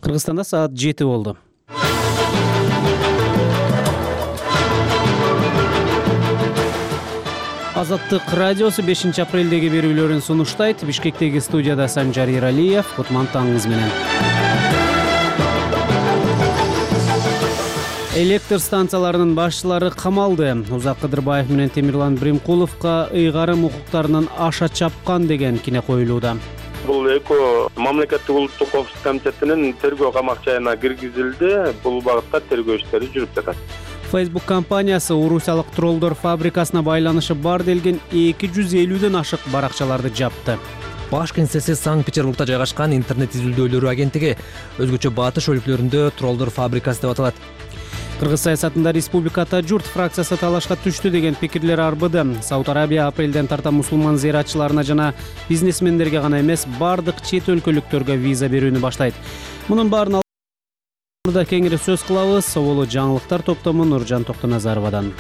Кыргызстанда саат 7 болду. Азаттык радиосу 5 апрелдеги берүүлөрүн сунуштайт. Бишкектеги студияда Санжар Иралиев. Кутман таңыңыз менен. Электр станцияларынын башчылары камалды. Узак Кыдырбаев менен Темирлан Бримкуловго ыйгарым укуктарынын аша чапкан деген кине коюлууда. Бул экөө мамлекеттик улуттук коопсуздук комитетинин тергөө камакчайына киргизилди. Бул багытта тергөө иштери жүрүп жатат. Facebook компаниясы орусиялык троллдор фабрикасына байланышы бар делген 250ден ашык баракчаларды жапты. Баш кеңсеси Санкт-Петербургда жайгашкан интернет изилдөөлөрү агенттиги өзгөчө батыш өлкөлөрүндө троллдор фабрикасы деп аталат. Кыргыз саясатында республиката журт фракциясы талашка түштү деген пикирлер арбыды. Сауд Арабия апрелден тарта мусулман зыяратчыларына жана бизнесмендерге гана эмес, бардык чет өлкөлүктөргө виза берүүнү баштайт. Мунун баарын да кеңири сөз кылабыз. Соболу жаңылыктар топтому Нуржан Токтоназаровадан.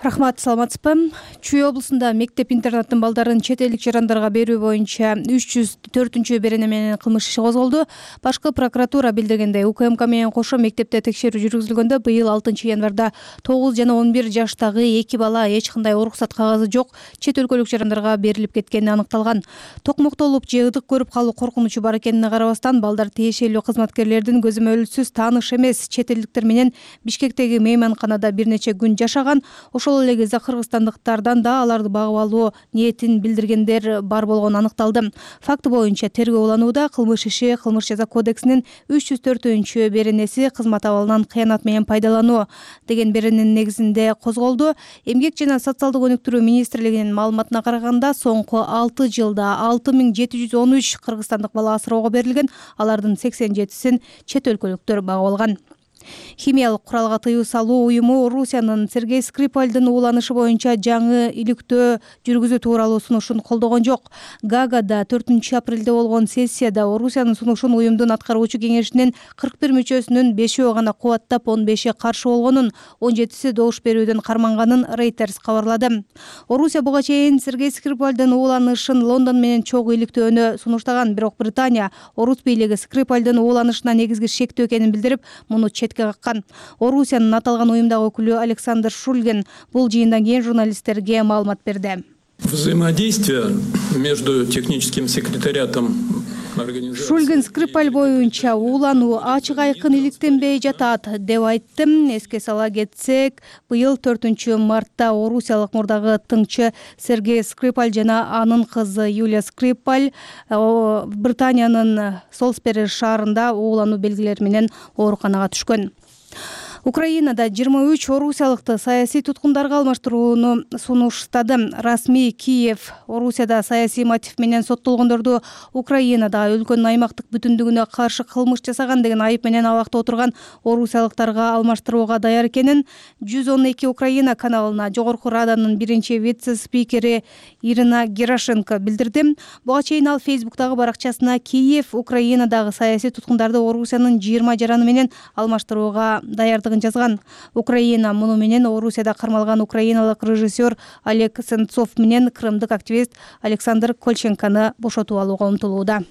Рахмат, саламатсызбы? Чүй облусунда мектеп-интернаттын балдарын чет элдик жарандарга берүү боюнча 304 берене менен кылмыш иши козголду. Башкы прокуратура билдиргендей, УКМК менен кошо мектепте текшерүү жүргүзүлгөндө быйыл 6-январда 9 жана 11 жаштагы 2 бала эч кандай уруксат кагазы жок чет өлкөлүк жарандарга берилип кеткени аныкталган. Токмоктолуп же ыдык көрүп калуу коркунучу бар экенине карабастан, балдар тиешелүү кызматкерлердин көзөмөлсүз тааныш эмес чет элдиктер менен Бишкектеги мейманканада бир нече күн жашаган. Ошол эле кезде кыргызстандыктардан да аларды багып алуу ниетин билдиргендер бар болгону аныкталды. Факты боюнча тергөө уланууда. Кылмыш иши Кылмыш жаза кодексинин 304 беренеси кызмат абалынан кыянат менен пайдалануу деген берененин негизинде козголду. Эмгек жана социалдык өнүктүрүү министрлигинин маалыматына караганда, соңку 6 жылда 6713 кыргызстандык бала асыроого берилген. Алардын 87-син чет өлкөлүктөр багып алган. Химиялык куралга тыюу салуу уюму Орусиянын Сергей Скрипальдын ууланышы боюнча жаңы иликтөө жүргүзүү тууралуу сунушун колдогон жок. Гаагада 4 апрелде болгон сессияда Орусиянын сунушун уюмдун аткаруучу кеңешинин 41 мүчөсүнүн 5-өө гана кубаттап, 15-и каршы болгонун, 17-си добуш берүүдөн карманганын Reuters кабарлады. Орусия буга чейин Сергей Скрипальдын ууланышын Лондон менен чогуу иликтөөнү сунуштаган, бирок Британия орус бийлиги Скрипальдын ууланышына негизги шектүү экенин билдирип, муну четке каккан. Орусиянын аталган уюмдагы өкүлү Александр Шульгин бул жыйындан кийин журналисттерге маалымат берди. Взаимодействие между техническим секретариатом Шульгин Скрипаль боюнча уулануу ачык айкын иликтенбей жатат деп айтты. Эске сала кетсек, быйыл 4 мартта орусиялык мурдагы тыңчы Сергей Скрипаль жана анын кызы Юлия Скрипаль Британиянын Солсбери шаарында уулануу белгилери менен ооруканага түшкөн. Украинада 23 орусиялыкты саясий туткундарга алмаштырууну сунуштады. Расмий Киев Орусияда саясий мотив менен соттолгондорду Украинадагы өлкөнүн аймактык бүтүндүгүнө каршы кылмыш жасаган деген айып менен абакта отурган орусиялыктарга алмаштырууга даяр экенин 112 Украина каналына Жогорку Раданын биринчи вице-спикери Ирина Герошенко билдирди. Буга чейин ал Facebook'тагы баракчасына Киев Украинадагы саясий туткундарды Орусиянын 20 жараны менен алмаштырууга даярдыгын жазган. Украина муну менен Орусияда кармалган украиналык режиссер Олег Сенцов менен крымдык активист Александр Кольченконы бошотуп алууга умтулууда.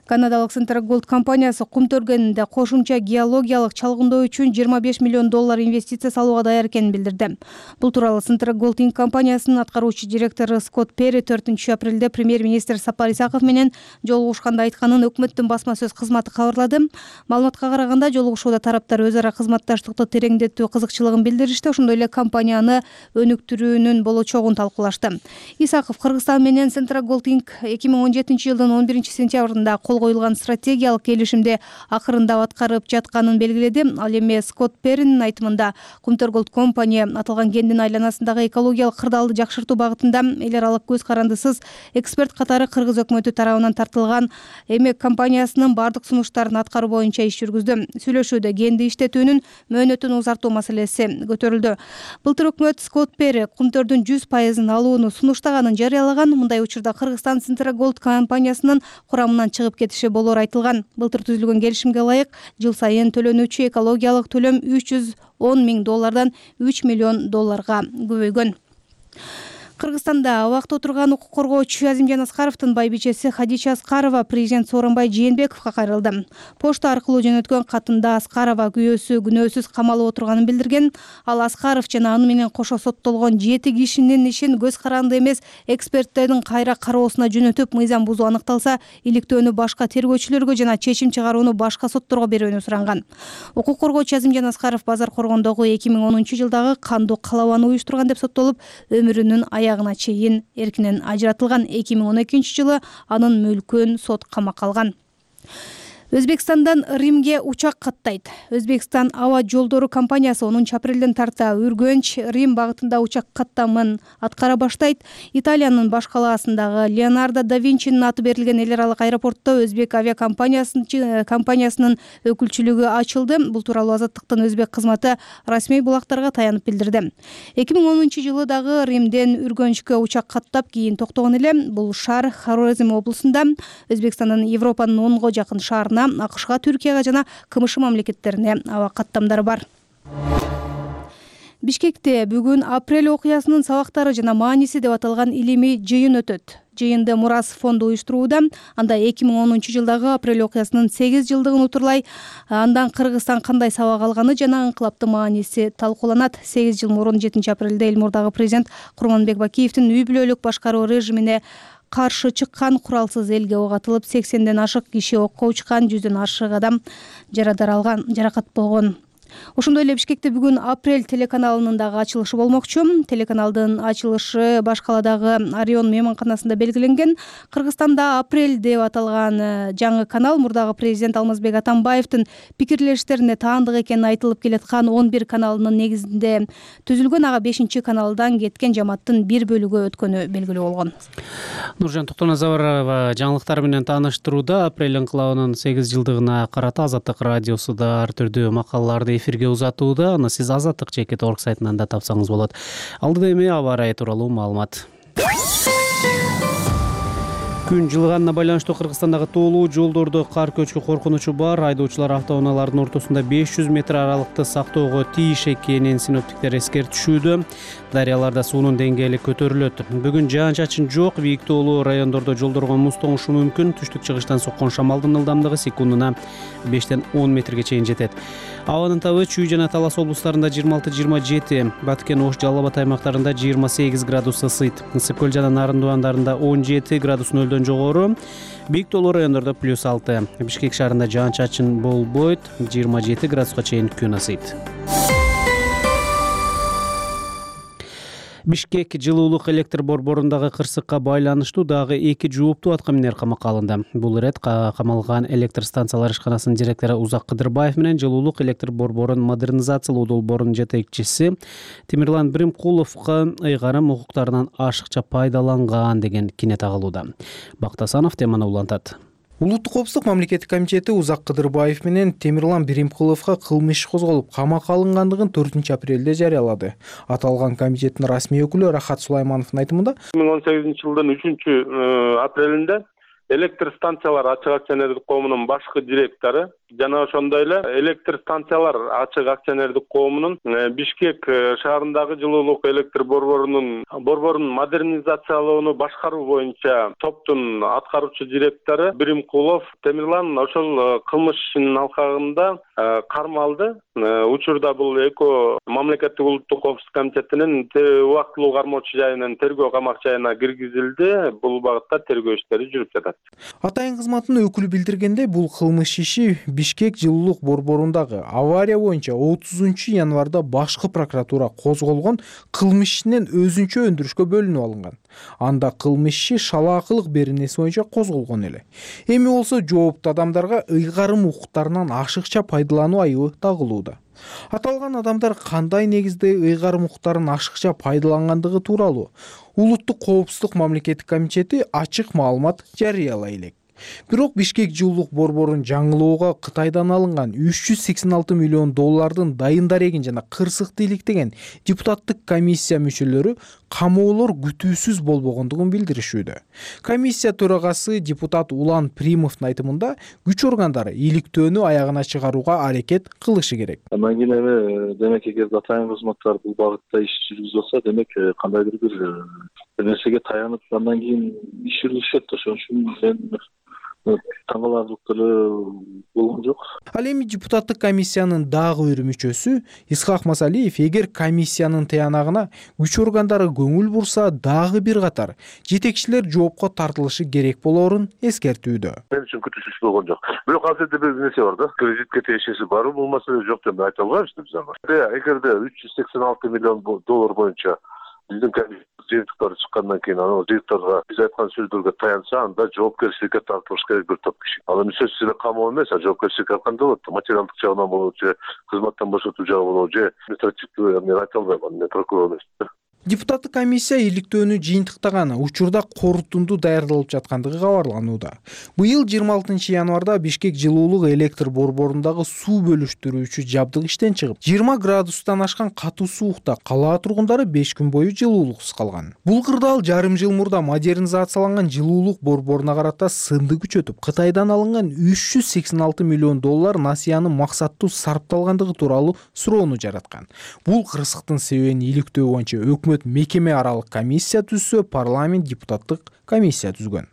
Канадалык Central Gold компаниясы кум төргөнүндө кошумча геологиялык чалгындоо үчүн $25 миллион инвестиция салууга даяр экенин билдирди. Бул тууралуу Central Gold Inc. компаниясынын аткаруучу директору Скотт Перри 4 апрелде премьер-министр Сапар Исаков менен жолугушканда айтканын өкмөттүн басма сөз кызматы кабарлады. Маалыматка караганда, жолугушууда тараптар өз ара кызматташтыкты тереңдетүү кызыкчылыгын билдиришти, ошондой эле компанияны өнүктүрүүнүн болочогун талкуулашты. Исаков Кыргызстан менен Central Gold Inc. 2017-жылдын 11-сентябрында коюлган стратегиялык келишимде акырындап аткарып жатканын белгиледи. Ал эми Скотт Перринин айтымында Кумтөр Голд компания аталган кендин айланасындагы экологиялык кырдаалды жакшыртуу багытында эл аралык көз карандысыз эксперт катары кыргыз өкмөтү тарабынан тартылган эмек компаниясынын бардык сунуштарын аткаруу боюнча иш жүргүздү. Сүйлөшүүдө кенди иштетүүнүн мөөнөтүн узартуу маселеси көтөрүлдү. Былтыр өкмөт Скотт Перри кумтөрдүн 100% алууну сунуштаганын жарыялаган. Мындай учурда Кыргызстан Central Gold компаниясынын курамынан чыгып кетиши болор айтылган. Былтыр түзүлгөн келишимге ылайык жыл сайын төлөнүүчү экологиялык төлөм $310 миң $3 миллион көбөйгөн. Кыргызстанда абакта отурган укук коргоочу Азимжан Аскаровдун байбичеси Хадича Аскарова президент Сооронбай Жээнбековго кайрылды. Почта аркылуу жөнөткөн катында Аскарова күйөөсү күнөөсүз камалып отурганын билдирген. Ал Аскаров жана аны менен кошо соттолгон 7 кишинин ишин көз каранды эмес эксперттердин кайра кароосуна жөнөтүп, мыйзам бузуу аныкталса, иликтөөнү башка тергөөчүлөргө жана чечим чыгарууну башка сотторго берүүнү суранган. Укук коргоочу Азимжан Аскаров базар коргондогу 2010-жылдагы кандуу калабаны уюштурган деп соттолуп, өмүрүнүн аягына чейин эркинен ажыратылган. 2012-жылы анын мүлкүн сот камакка алган. Өзбекстандан Римге учак каттайт. Өзбекстан аба жолдору компаниясы 10-апрелден тарта Үргөнч Рим багытында учак каттамын аткара баштайт. Италиянын баш калаасындагы Леонардо да Винчинин аты берилген эл аралык аэропортто өзбек авиакомпаниясынын өкүлчүлүгү ачылды. Бул тууралуу Азаттыктын өзбек кызматы расмий булактарга таянып билдирди. 2010-жылы дагы Римден Үргөнчкө учак каттап кийин токтогон эле. Бул шаар Хорезм облусунда. Өзбекстандын Европанын 10го жакын шаарына, АКШга, Түркияга жана КМШ мамлекеттерине аба каттамдары бар. Бишкекте бүгүн апрель окуясынын сабактары жана мааниси деп аталган илимий жыйын өтөт. Жыйынды Мурас фонду уюштурууда. Анда 2010-жылдагы апрель окуясынын 8 жылдыгын утурлай, андан Кыргызстан кандай сабак алганы жана инкылаптын мааниси талкууланат. 8 жыл мурун 7-апрелде Элмурдагы президент Курманбек Бакиевдин үй бүлөлүк башкаруу режимине каршы чыккан куралсыз элге ок атылып, 80ден ашык киши окко учкан, 100дөн ашык адам жаракат болгон. Ошондой эле Бишкекте бүгүн апрель телеканалынын дагы ачылышы болмокчу. Телеканалдын ачылышы баш каладагы Орион мейманканасында белгиленген. Кыргызстанда апрель деп аталган жаңы канал мурдагы президент Алмазбек Атамбаевдин пикирлештерине таандык экени айтылып келаткан 11 каналынын негизинде түзүлгөн. Ага 5-каналдан кеткен жамааттын бир бөлүгү өткөнү белгилүү болгон. Нуржан Токтоназарова жаңылыктар менен тааныштырууда. Апрель инкылабынын 8 жылдыгына карата Азаттык радиосу да ар түрдүү макалаларды эфирге узатууда. Аны сиз azattik.org сайтынан да тапсаңыз болот. Алдыда эми аба ырайы тууралуу маалымат. Күн жылыганына байланыштуу Кыргызстандагы тоолуу жолдордо кар көчкү коркунучу бар. Айдоочулар автоунаалардын ортосунда 500 метр аралыкты сактоого тийиш экенин синоптиктер эскертишүүдө. Дарыяларда суунун деңгээли көтөрүлөт. Бүгүн жаан-чачын жок. Бийиктоолуу райондордо жолдорго муз тоңушу мүмкүн. Түштүк-чыгыштан соккон шамалдын ылдамдыгы секундуна 5ден 10 метрге чейин жетет. Абанын табы Чүй жана Талас облустарында 26-27, Баткен, Ош, Жалал Абад аймактарында 28 градус ысыйт. Ысык көл жана Нарын Дуандарында 17 градус нөлдөн жогору. Бийиктоолуу райондордо +6. Бишкек шаарында жаан-чачын болбойт. 27 градуска чейин күн ысыйт. Бишкек жылуулук электр борборундагы кырсыкка байланыштуу дагы 2 жооптуу атка минер камакка алынды. Бул ирет камалган электр станциялар ишканасынын директору Узак Кыдырбаев менен жылуулук электр борборун модернизациялоо долбоорунун жетекчиси Темирлан Биримкуловго ыйгарым укуктарынан ашыкча пайдаланган деген кине тагылууда. Бактасанов теманы улантат. Улуттук коопсуздук мамлекеттик комитети Узак Кыдырбаев менен Темирлан Биримкуловго кылмыш иш козголуп, камакка алынгандыгын 4-апрелде жарыялады. Аталган комитеттин расмий өкүлү Рахат Сулаймановдун айтымында 2018-жылдын 3-апрелинде электр станциялар ачык акционердик коомунун башкы директору жана ошондой эле электр станциялар ачык акционердик коомунун Бишкек шаарындагы жылуулук электр борборун модернизациялоону башкаруу боюнча топтун аткаруучу директору Биримкулов Темирлан ошол кылмыш ишинин алкагында кармалды. Учурда бул Эко мамлекеттик улуттук коопсуздук комитетинин убактылуу кармоочу жайынан тергөө камак жайына киргизилди. Бул багытта тергөө иштери жүрүп жатат. Атайын кызматынын өкүлү билдиргендей, бул кылмыш иши Бишкек жылуулук борборундагы авария боюнча 30-январда башкы прокуратура козголгон кылмыш ишинен өзүнчө өндүрүшкө бөлүнүп алынган. Анда кылмыш иши шалаакылык беренеси боюнча козголгон эле. Эми болсо жооптуу адамдарга ыйгарым укуктарынан ашыкча пайдалануу айыбы тагылууда. Аталган адамдар кандай негизде ыйгарым укуктарын ашыкча пайдалангандыгы тууралуу Улуттук коопсуздук мамлекеттик комитети ачык маалымат жарыялай элек. Бирок Бишкек жылуулук борборун жаңылоого Кытайдан алынган $386 миллион дайын дарегин жана кырсыкты иликтеген депутаттык комиссия мүчөлөрү камоолор күтүүсүз болбогондугун билдиришүүдө. Комиссия төрагасы депутат Улан Примовдун айтымында күч органдары иликтөөнү аягына чыгарууга аракет кылышы керек. Андан кийин эми демек эгерде атайын кызматтар бул багытта иш жүргүзүп атса, демек кандайдыр бир нерсеге таянып андан кийин иш жүргүзүшөт. Ошон үчүн мен таң каларлык деле болгон жок. Ал эми депутаттык комиссиянын дагы бир мүчөсү Исхак Масалиев эгер комиссиянын тыянагына күч органдары көңүл бурса, дагы бир катар жетекчилер жоопко тартылышы керек болоорун эскертүүдө. Мен үчүн күтүүсүз болгон жок. Бирок азыр бир нерсе бар да. Кредитке тиешеси барбы, бул маселе жок деп айта албайбыз биз аны. Эгерде 386 миллион доллар боюнча биздин жыйынтыктар чыккандан кийин анын жыйынтыктарга биз айткан сөздөргө таянса, анда жоопкерчиликке тартылыш керек бир топ киши. Ал эми сөзсүз эле камоо эмес, жоопкерчиликке алганда болот. Материалдык жагынан болобу же кызматтан бошотуу жагы болобу же административдүү, мен айта албайм, мен прокурор эмесмин. Депутаттык комиссия иликтөөнү жыйынтыктаган учурда корутунду даярдалып жаткандыгы кабарланууда. Быйыл 26 январда Бишкек жылуулук электр борборундагы суу бөлүштүрүүчү жабдык иштен чыгып, 20 градустан ашкан катуу суукта кала тургундары 5 күн бою жылуулуксуз калган. Бул кырдаал жарым жыл мурда модернизацияланган жылуулук борборуна карата сынды күчөтүп, Кытайдан алынган 386 миллион доллар насыянын максаттуу сарпталгандыгы тууралуу суроону жараткан. Бул кырсыктын себебин иликтөө боюнча мекеме аралык комиссия түзсө, парламент депутаттык комиссия түзгөн.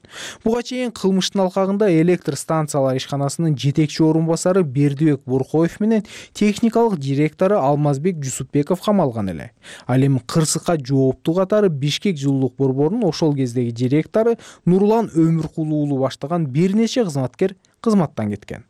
Буга чейин кылмыштын алкагында электр станциялар ишканасынын жетекчи орун басары Бердибек Буркоев менен техникалык директору Алмазбек Жусупбеков камалган эле. Ал эми кырсыкка жооптуу катары Бишкек жылуулук борборунун ошол кездеги директору Нурлан Өмүркул уулу баштаган бир нече кызматкер кызматтан кеткен.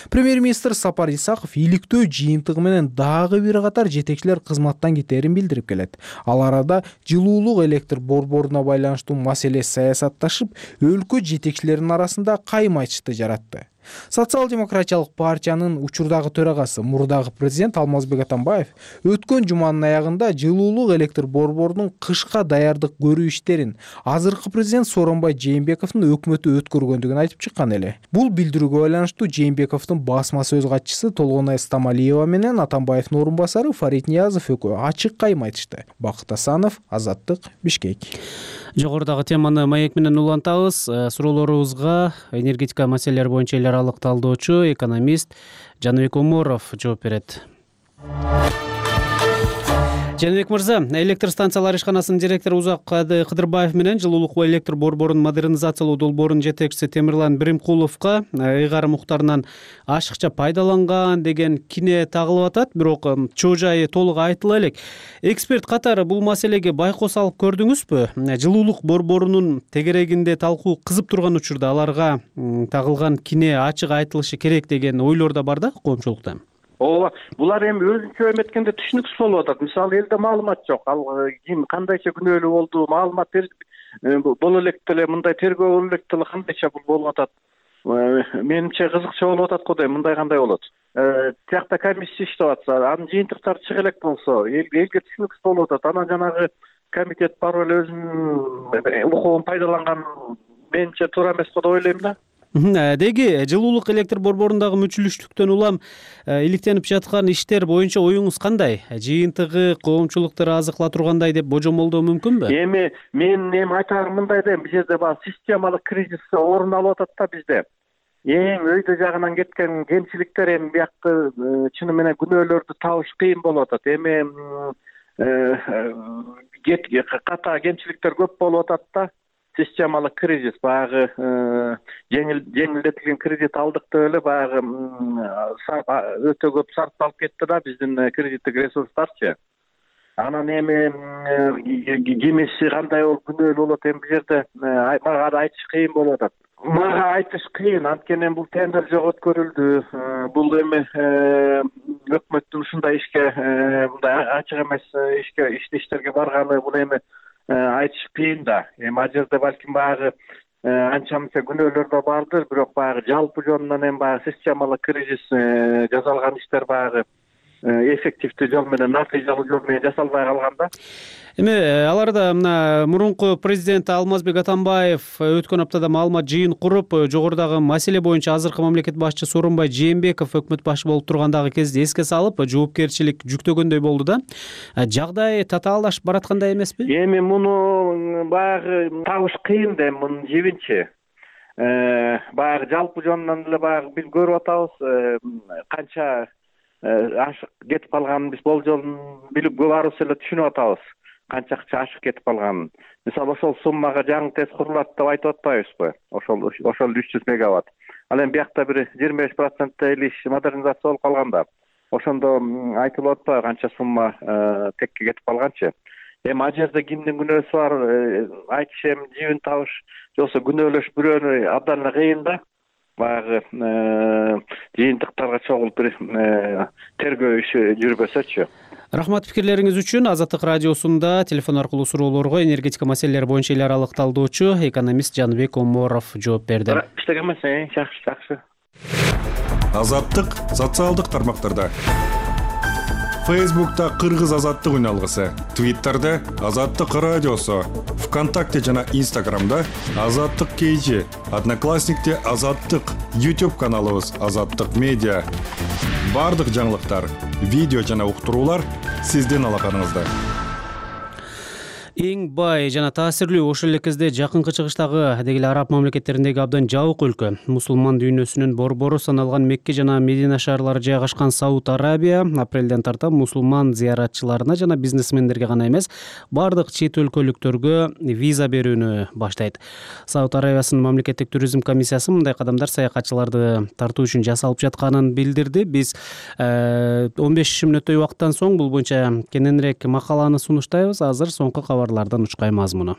Премьер-министр Сапар Исаков иликтөө жыйынтыгы менен дагы бир катар жетекчилер кызматтан кетерин билдирип келет. Ал арада жылуулук электр борборуна байланыштуу маселе саясатташып, өлкө жетекчилеринин арасында кайым айтышты жаратты. Социал-демократиялык партиянын учурдагы төрагасы, мурдагы президент Алмазбек Атамбаев өткөн жуманын аягында жылуулук электр борборунун кышка даярдык көрүү иштерин азыркы президент Сооронбай Жээнбековдун өкмөтү өткөргөндүгүн айтып чыккан эле. Бул билдирүүгө байланыштуу Жээнбековдун басма сөз катчысы Толгонай Стамалиева менен Атамбаевдин орун басары Фарид Ниязов экөө ачык кайым айтышты. Бакыт Асанов, Азаттык, Бишкек. Жогорудагы теманы маек менен улантабыз. Суроолорубузга энергетика маселелери боюнча эл аралык талдоочу экономист Жаныбек Оморов жооп берет. Жаныбек мырза, электр станциялар ишканасынын директору Узаккады Кыдырбаев менен жылуулук электр борборунун модернизациялоо долбоорунун жетекчиси Темирлан Биримкуловго ыйгарым муктарынан ашыкча пайдаланган деген кине тагылып атат, бирок чоо жайы толук айтыла элек. Эксперт катары бул маселеге байкоо салып көрдүңүзбү? Жылуулук борборунун тегерегинде талкуу кызып турган учурда аларга тагылган кине ачык айтылышы керек деген ойлор да бар да коомчулукта. Ооба, булар эми өзүнчө эметкенде түшүнүксүз болуп атат. Мисалы элде маалымат жок. Ал ким кандайча күнөөлүү болду, маалымат боло элек деле мындай тергөө боло элек деле кандайча бул болуп атат. Менимче кызыкчы болуп атат го дейм, мындай кандай болот. Тиякта комиссия иштеп атса, анын жыйынтыктары чыга элек болсо, элге түшүнүксүз болуп атат. Анан жанагы комитет барып эле өзүнүн укугун пайдаланган менимче туура эмес го деп ойлойм да. Деги жылуулук электр борборундагы мүчүлүштүктөн улам иликтенип жаткан иштер боюнча оюңуз кандай? Жыйынтыгы коомчулукту ыраазы кыла тургандай деп божомолдоо мүмкүнбү? Мен айтарым мындай дейм, бул жерде баягы системалык кризис орун алып атат да bizde. Эң өйдө жагынан кеткен кемчиликтер эми биякты чыны менен күнөөлөрдү табыш кыйын болуп атат. Эми ката кемчиликтер көп болуп атат да. Системалык кризис, баягы жеңилдетилген кредит алдык деп эле баягы өтө көп сарпталып кетти да биздин кредиттик ресурстарчы. Анан эми кимиси кандай болуп күнөөлүү болот, эми бул жерде мага айтыш кыйын болуп атат. Мага айтыш кыйын, анткени бул тендер жок өткөрүлдү. Бул эми өкмөттүн ушундай ишке мындай ачык эмес иштерге барганы бул эми айтыш кыйын да. Эми ал жерде балким баягы анча мынча күнөөлөр да бардыр, бирок баягы жалпы жөнүнөн эми баягы системалык кризис жасалган иштер баягы эффективдүү жол менен, натыйжалуу жол менен жасалбай калган да. Эми аларда мына мурунку президент Алмазбек Атамбаев өткөн аптада маалымат жыйын куруп, жогорудагы маселе боюнча азыркы мамлекет башчысы Сооронбай Жээнбеков өкмөт башы болуп тургандагы кезде эске салып, жоопкерчилик жүктөгөндөй болду да. Жагдай татаалдашып бараткандай эмеспи? Эми муну баягы табыш кыйын да, мунун жибинчи. Баягы жалпы жонунан эле баягы биз көрүп атабыз, канча ашык кетип калганын биз болжолун билип баарыбыз эле түшүнүп атабыз. Канча ашык кетип калганын. Мисалы ошол суммага жаңы ТЭЦ курулат деп айтып атпайбызбы? Ошол 300 мегаватт. Ал эми биякта бир 25% иш модернизация болуп калган да. Ошондо айтылып атпайбы канча сумма текке кетип калганчы. Эми ал жерде кимдин күнөөсү бар, айтыш эми жибин табыш, жоксо күнөөлөш бирөөнү абдан эле кыйын да. Баягы жыйынтыктарга чогулуп бир тергөө иши жүрбөсөчү. Рахмат пикирлериңиз үчүн. Азаттык радиосунда телефон аркылуу суроолорго энергетика маселелери боюнча эл аралык талдоочу экономист Жаныбек Оморов жооп берди. Иштеген эмес, жакшы. Азаттык социалдык тармактарда. Фейсбукта Кыргыз азаттык үналгысы, Твиттерде Азаттык радиосу, ВКонтакте жана Инстаграмда Азаттык KG, Одноклассникте Азаттык, YouTube каналыбыз Азаттык медиа. Бардык жаңылыктар, видео жана уктуруулар сиздин алаканыңызда. Эң бай жана таасирлүү ошол эле кезде жакынкы чыгыштагы дегеле араб мамлекеттериндеги абдан жабык өлкө, мусулман дүйнөсүнүн борбору саналган Мекке жана Медина шаарлары жайгашкан Сауд Арабия апрелден тарта мусулман зыяратчыларына жана бизнесмендерге гана эмес, бардык чет өлкөлүктөргө виза берүүнү баштайт. Сауд Арабиясынын мамлекеттик туризм комиссиясы мындай кадамдар саякатчыларды тартуу үчүн жасалып жатканын билдирди. Биз 15 мүнөттөй убакыттан соң бул боюнча кененирээк макаланы сунуштайбыз. Азыр соңку кабарлардан учкай мазмуну.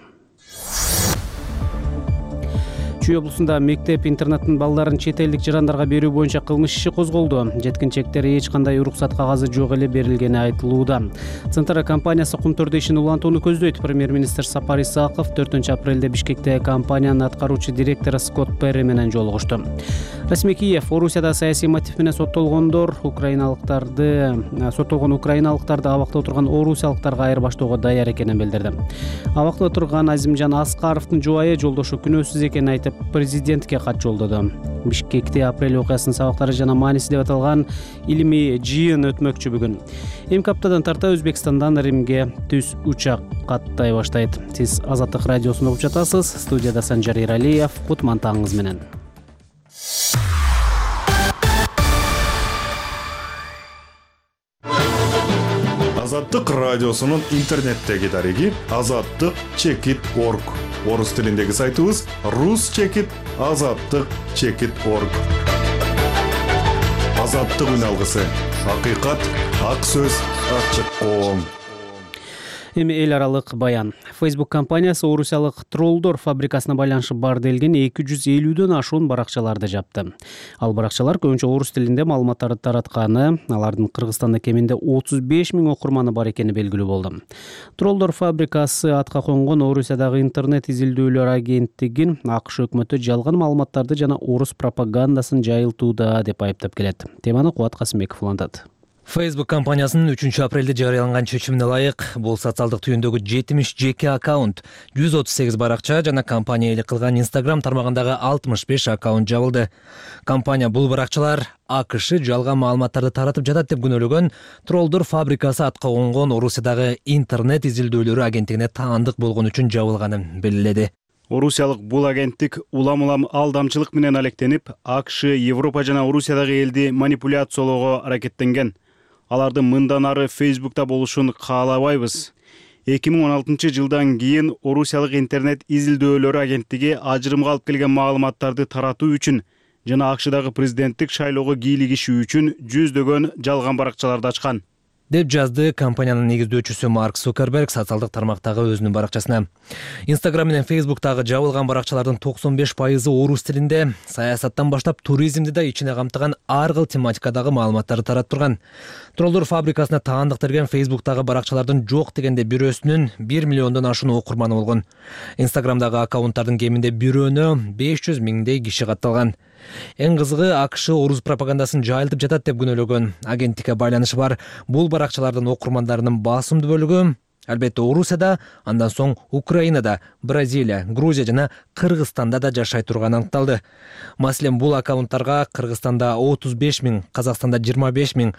Чүй облусунда мектеп-интернаттын балдарын чет элдик жарандарга берүү боюнча кылмыш иши козголду. Жеткинчектер эч кандай уруксат кагазы жок эле берилгени айтылууда. Центр компаниясы кумтөрдө ишин улантууну көздөйт. Премьер-министр Сапар Исаков 4-апрелде Бишкекте компаниянын аткаруучу директору Скотт Перри менен жолугушту. Расмий Киев Орусияда саясий мотив менен соттолгон украиналыктарды абакта отурган орусиялыктарга айырбаштоого даяр экенин билдирди. Абакта отурган Азимжан Аскаровдун жубайы жолдошу күнөөсүз экенин айтып, президентке кат жолдоду. Бишкекте апрель окуясынын сабактары жана мааниси деп аталган илимий жыйын өтмөкчү бүгүн. Эмки аптадан тарта Өзбекстандан Римге түз учак каттай баштайт. Сиз Азаттык радиосун угуп жатасыз. Студияда Санжар Иралиев. Кутман таңыңыз менен. Азаттык радиосунун интернеттеги дареги azattik.org. Орус тилиндеги сайтыбыз rus.azattik.org. Азаттык үналгысы. Акыйкат, ак сөз, ачык коом. Эми эл аралык баян. Facebook компаниясы орусиялык троллдор фабрикасына байланышы бар делген 250дөн ашуун баракчаларды жапты. Ал баракчалар көбүнчө орус тилинде маалыматтарды таратканы, алардын Кыргызстанда кеминде 35 000 окурманы бар экени белгилүү болду. Троллдор фабрикасы атка конгон Орусиядагы интернет изилдөөлөр агенттигин АКШ өкмөтү жалган маалыматтарды жана орус пропагандасын жайылтууда деп айыптап келет. Теманы Кубат Касымбеков улантат. Facebook компаниясынын 3-апрелде жарыяланган чечимине ылайык бул социалдык түйүндөгү 70 жеке аккаунт, 138 баракча жана компания элек кылган Instagram тармагындагы 65 аккаунт жабылды. Компания бул баракчалар АКШ жалган маалыматтарды таратып жатат деп күнөөлөгөн троллдор фабрикасы атка конгон Орусиядагы интернет изилдөөлөрү агенттигине таандык болгон үчүн жабылганын белгиледи. Орусиялык бул агенттик улам-улам алдамчылык менен алектенип, АКШ, Европа жана Орусиядагы элди манипуляциялоого аракеттенген. Алардын мындан ары Facebook'та болушун каалабайбыз. 2016 жылдан кийин Орусиялык интернет изилдөөлөрү агенттиги ажырымга алып келген маалыматтарды таратуу үчүн жана АКШдагы президенттик шайлоого кийлигишүү үчүн жүздөгөн жалган баракчаларды ачкан, деп жазды компаниянын негиздөөчүсү Марк Цукерберг социалдык тармактагы өзүнүн баракчасына. Instagram менен Facebook'тагы жабылган баракчалардын 95% орус тилинде, саясаттан баштап туризмди да ичине камтыган ар кыл тематикадагы маалыматтарды таратып турган. Троллдор фабрикасына таандык берген Facebook'тагы баракчалардын жок дегенде бирөөсүнүн 1 миллиондон ашуун окурманы болгон. Instagram'дагы аккаунттардын кеминде бирөөнө 500 000 киши катталган. Эң кызыгы АКШ орус пропагандасын жайылтып жатат деп күнөөлөгөн. Агенттикке байланышы бар бул баракчалардын окурмандарынын басымдуу бөлүгү албетте Орусияда, андан соң Украинада, Бразилия, Грузия жана Кыргызстанда да жашай турганы аныкталды. Маселен, бул аккаунттарга Кыргызстанда 35 000, Казакстанда 25 000,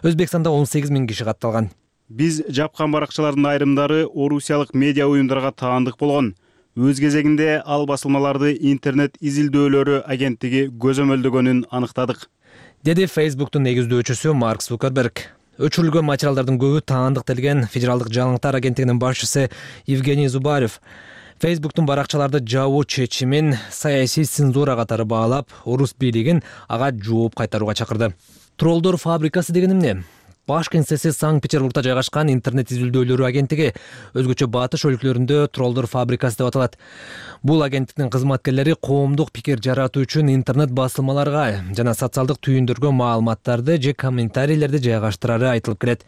Өзбекстанда 18 000 киши катталган. Биз жапкан баракчалардын айрымдары орусиялык медиа уюмдарга таандык болгон. Өз кезегинде ал басылмаларды интернет изилдөөлөрү агенттиги көзөмөлдөгөнүн аныктадык, деди Facebooктун негиздөөчүсү Марк Цукерберг. Өчүрүлгөн материалдардын көбү таандыкталган Федералдык жаңылыктар агенттигинин башчысы Евгений Зубарев Facebooктун баракчаларды жабуу чечимин саясий цензура катары баалап, орус бийлигин ага жооп кайтарууга чакырды. Троллдор фабрикасы деген эмне? Баш кеңсеси Санкт-Петербургда жайгашкан интернет изилдөөлөрү агенттиги, өзгөчө батыш өлкөлөрүндө троллдор фабрикасы деп аталат. Бул агенттиктин кызматкерлери коомдук пикир жаратуу үчүн интернет басылмаларга жана социалдык түйүндөргө маалыматтарды же комментарийлерди жайгаштырары айтылып келет.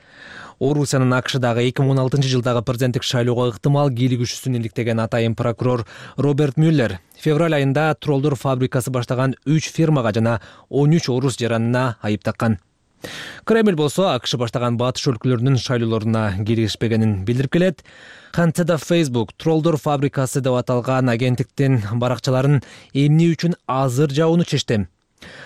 Орусиянын АКШдагы 2016 жылдагы президенттик шайлоого ыктымал кийлигишүүсүн иликтеген атайын прокурор Роберт Мюллер февраль айында троллдор фабрикасы баштаган 3 фирмага жана 13 орус жаранына айып таккан. Кремль болсо АКШ баштаган батыш өлкөлөрүнүн шайлоолоруна киришпегенин билдирип келет. Кантсе да Facebook троллдор фабрикасы деп аталган агенттиктин баракчаларын эмне үчүн азыр жабууну чечти?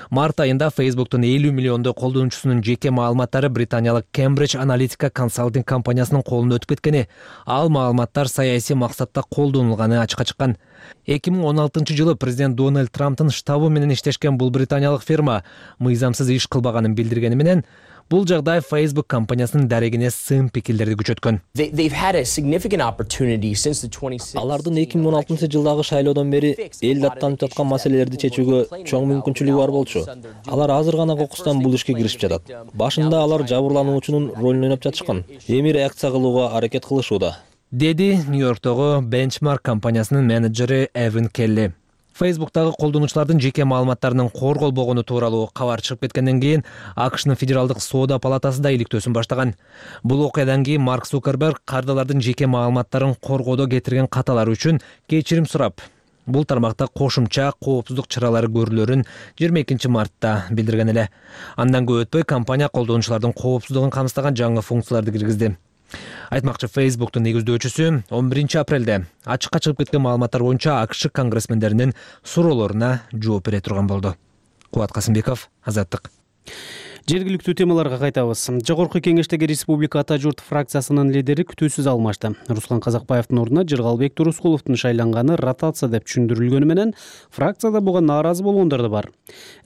Март айында Facebooktун 50 миллиондой колдонуучусунун жеке маалыматтары британиялык Cambridge Analytica консалтинг компаниясынын колуна өтүп кеткени, ал маалыматтар саясий максатта колдонулганы ачыкка чыккан. 2016 жылы президент Дональд Трамптын штабы менен иштешкен бул британиялык фирма мыйзамсыз иш кылбаганын билдиргени менен, бул жагдай Facebook компаниясынын дарегине сын пикирлерди күчөткөн. Алардын 2016 жылдагы шайлоодон бери эл даттанып жаткан маселелерди чечүүгө чоң мүмкүнчүлүгү бар болчу. Алар азыр гана кокустан бул ишке киришип жатат. Башында алар жабырлануучунун ролун ойноп жатышкан. Эми реакция кылууга аракет кылышууда, деди Нью-Йорктогу Benchmark компаниясынын менеджери Эвен Келли. Facebooktагы колдонуучулардын жеке маалыматтарынын корголбогону тууралуу кабар чыгып кеткенден кийин АКШнын Федералдык соода палатасы да иликтөөсүн баштаган. Бул окуядан кийин Марк Цукерберг кардалардын жеке маалыматтарын коргоодо кетирген каталар үчүн кечирим сурап, бул тармакта кошумча коопсуздук чаралары көрүлөрүн 22 мартта билдирген эле. Андан көп өтпөй компания колдонуучулардын коопсуздугун камсыздаган жаңы функцияларды киргизди. Айтмакчы, Facebooktун негиздөөчүсү 11 апрелде ачыкка чыгып кеткен маалыматтар боюнча АКШ конгрессмендеринин суроолоруна жооп бере турган болду. Кубат Касымбеков, Азаттык. Жергиликтүү темаларга кайтабыз. Жогорку кеңештеги Республика Ата журт фракциясынын лидери күтүүсүз алмашты. Руслан Казакбаевдин ордуна Жыргалбек Турускуловдун шайланганы ротация деп түшүндүрүлгөнү менен, фракцияда буга нааразы болгондор да бар.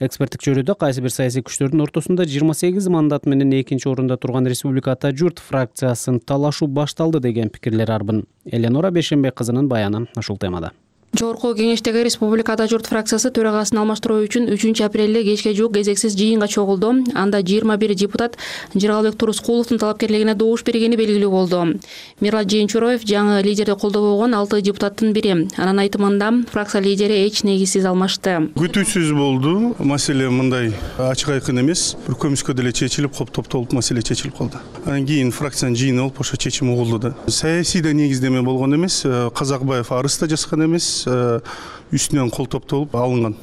Эксперттик чөйрөдө кайсы бир саясий күчтөрдүн ортосунда 28 мандат менен экинчи орунда турган Республика Ата журт фракциясын талашуу башталды деген пикирлер арбын. Эленора Бешенбек кызынын баяны ушул темада. Жогорку кеңештеги Республика Ата журт фракциясы төрагасын алмаштыруу үчүн 3 апрелде кечке жуук кезексиз жыйынга чогулду. Анда 21 депутат Жыргалбек Турускуловдун талапкерлигине добуш бергени белгилүү болду. Мират Жээнчуроев жаңы лидерди колдобогон 6 депутаттын бири. Анын айтымында фракция лидери эч негизсиз алмашты. Күтүүсүз болду. Маселе мындай ачык айкын эмес. Бир көмүскө деле чечилип, топтолуп маселе чечилип калды. Анан кийин фракциянын жыйыны болуп ошо чечим угулду да. Саясий да негиздеме болгон эмес. Казакбаев арыз да жазган эмес. Үстүнөн кол топтолуп алынган.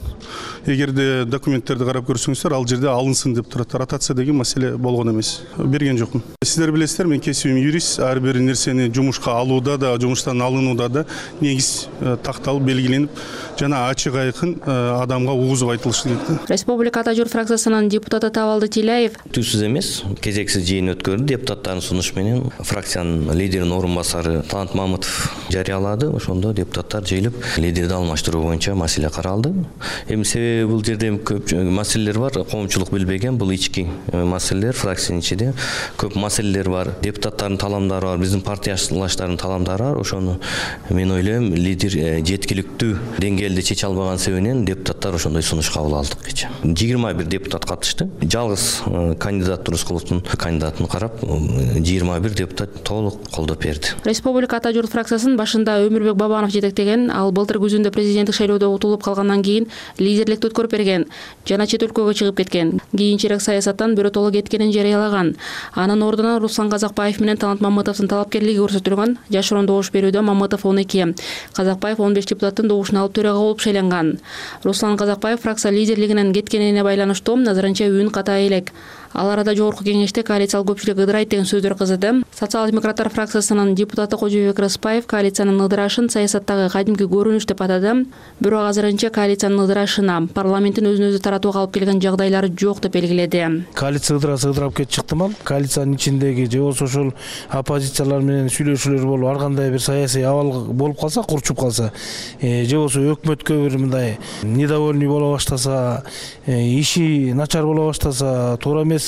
Эгерде документтерди карап көрсөңүздөр, ал жерде алынсын деп турат. Ротация деген маселе болгон эмес. Берген жокмун. Сиздер билесиздер, мен кесибим юрист. Ар бир нерсени жумушка алууда да, жумуштан алынууда да негиз такталып, белгиленип, жана ачык айкын адамга угузуп айтылышы керек. Республика Ата журт фракциясынын депутаты Табалды Тилеев түзсүз эмес, кезексиз жыйын өткөрдү. Депутаттардын сунушу менен фракциянын лидеринин орун басары Талант Мамытов жарыялады. Ошондо депутаттар жыйылып, лидерди алмаштыруу боюнча маселе каралды. Эми себеби бул жерде көп маселелер бар, коомчулук билбеген, бул ички маселелер, фракциянын ичинде көп маселелер бар, депутаттардын таламдары бар, биздин партиялаштардын таламдары бар. Ошону мен ойлойм, лидер жеткиликтүү деңгээлде чече албаган себебинен депутаттар ошондой сунуш кабыл алдык. 21 депутат катышты. Жалгыз кандидат Турускуловдун кандидатын карап, 21 депутат толук колдоп берди. Республика Ата журт фракциясынын башында Өмүрбек Бабанов жетектеген, ал былтыр күзүндө президент президенттик шайлоодо утулуп калгандан кийин лидерликти өткөрүп берген жана чет өлкөгө чыгып кеткен. Кийинчерээк саясаттан биротоло кеткенин жарыялаган. Анын ордуна Руслан Казакбаев менен Талант Мамытовдун талапкерлиги көрсөтүлгөн. Жашыруун добуш берүүдө Мамытов 12, Казакбаев 15 депутаттын добушун алып төрага болуп шайланган. Руслан Казакбаев фракция лидерлигинен кеткенине байланыштуу назарынча үн ката элек. Ал арада жогорку кеңеште коалициялык көпчүлүк ыдырайт деген сөздөр кызды. Социал-демократтар фракциясынын депутаты Кожобек Рыспаев коалициянын ыдырашын саясаттагы кадимки көрүнүш деп атады. Бирок азырынча коалициянын ыдырашына парламенттин өзүн өзү таратууга алып келген жагдайлары жок деп белгиледи. Коалиция ыдырап кетип чыктымал. Коалициянын ичиндеги же болбосо ошол оппозициялар менен сүйлөшүүлөр болуп, ар кандай бир саясий абал болуп калса, курчуп калса, же болбосо өкмөткө бир мындай недовольный боло баштаса, иши начар боло баштаса, туура эмес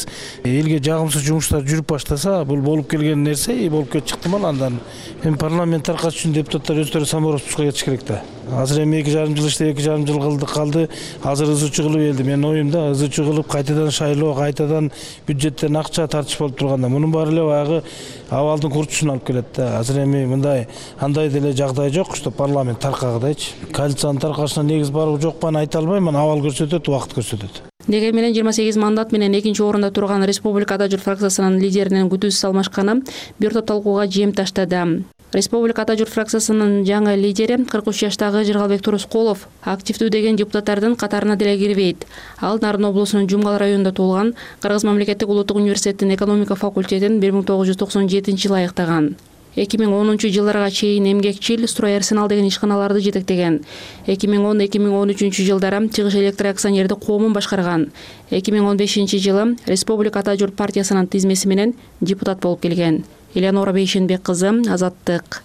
элге жагымсыз жумуштар жүрүп баштаса, бул болуп келген нерсе болуп кетип чыктымал. Андан эми парламент таркаш үчүн депутаттар өздөрү самороспускка кетиш керек да. Азыр эми 2,5 жыл иштеп 2,5 жыл калды. Азыр ызычуу кылып элди. Менин оюмда ызычуу кылып кайтадан шайлоо, кайтадан бюджеттен акча тартыш болуп турганда, мунун баары эле баягы абалдын курчушуна алып келет да. Азыр эми мындай андай деле жагдай жок, что парламент таркагыдайчы. Коалициянын таркашына негиз барбы жокпу аны айта албайм. Абал көрсөтөт, убакыт көрсөтөт. Дегени менен 28 мандат менен экинчи орунда турган Республикада Журт фракциясынын лидеринин күтүүсүз алмашканы бир топ талкууга жем таштады. Республикада Журт фракциясынын жаңы лидери 43 жаштагы Жыргалбек Турускулов активдүү деген депутаттардын катарына деле кирбейт. Ал Нарын облусунун Жумгал районунда туулган, Кыргыз мамлекеттик улуттук университеттин экономика факультетин 1997-жылы аяктаган. 2010-жылдарга чейин эмгекчил Строй Арсенал деген ишканаларды жетектеген. 2010-2013 жылдары Чыгыш электр акционердик коомун башкарган. 2015-жылы Республикада Журт партиясынын тизмеси менен депутат болуп келген. Элеонора Бейшенбек кызы, Азаттык.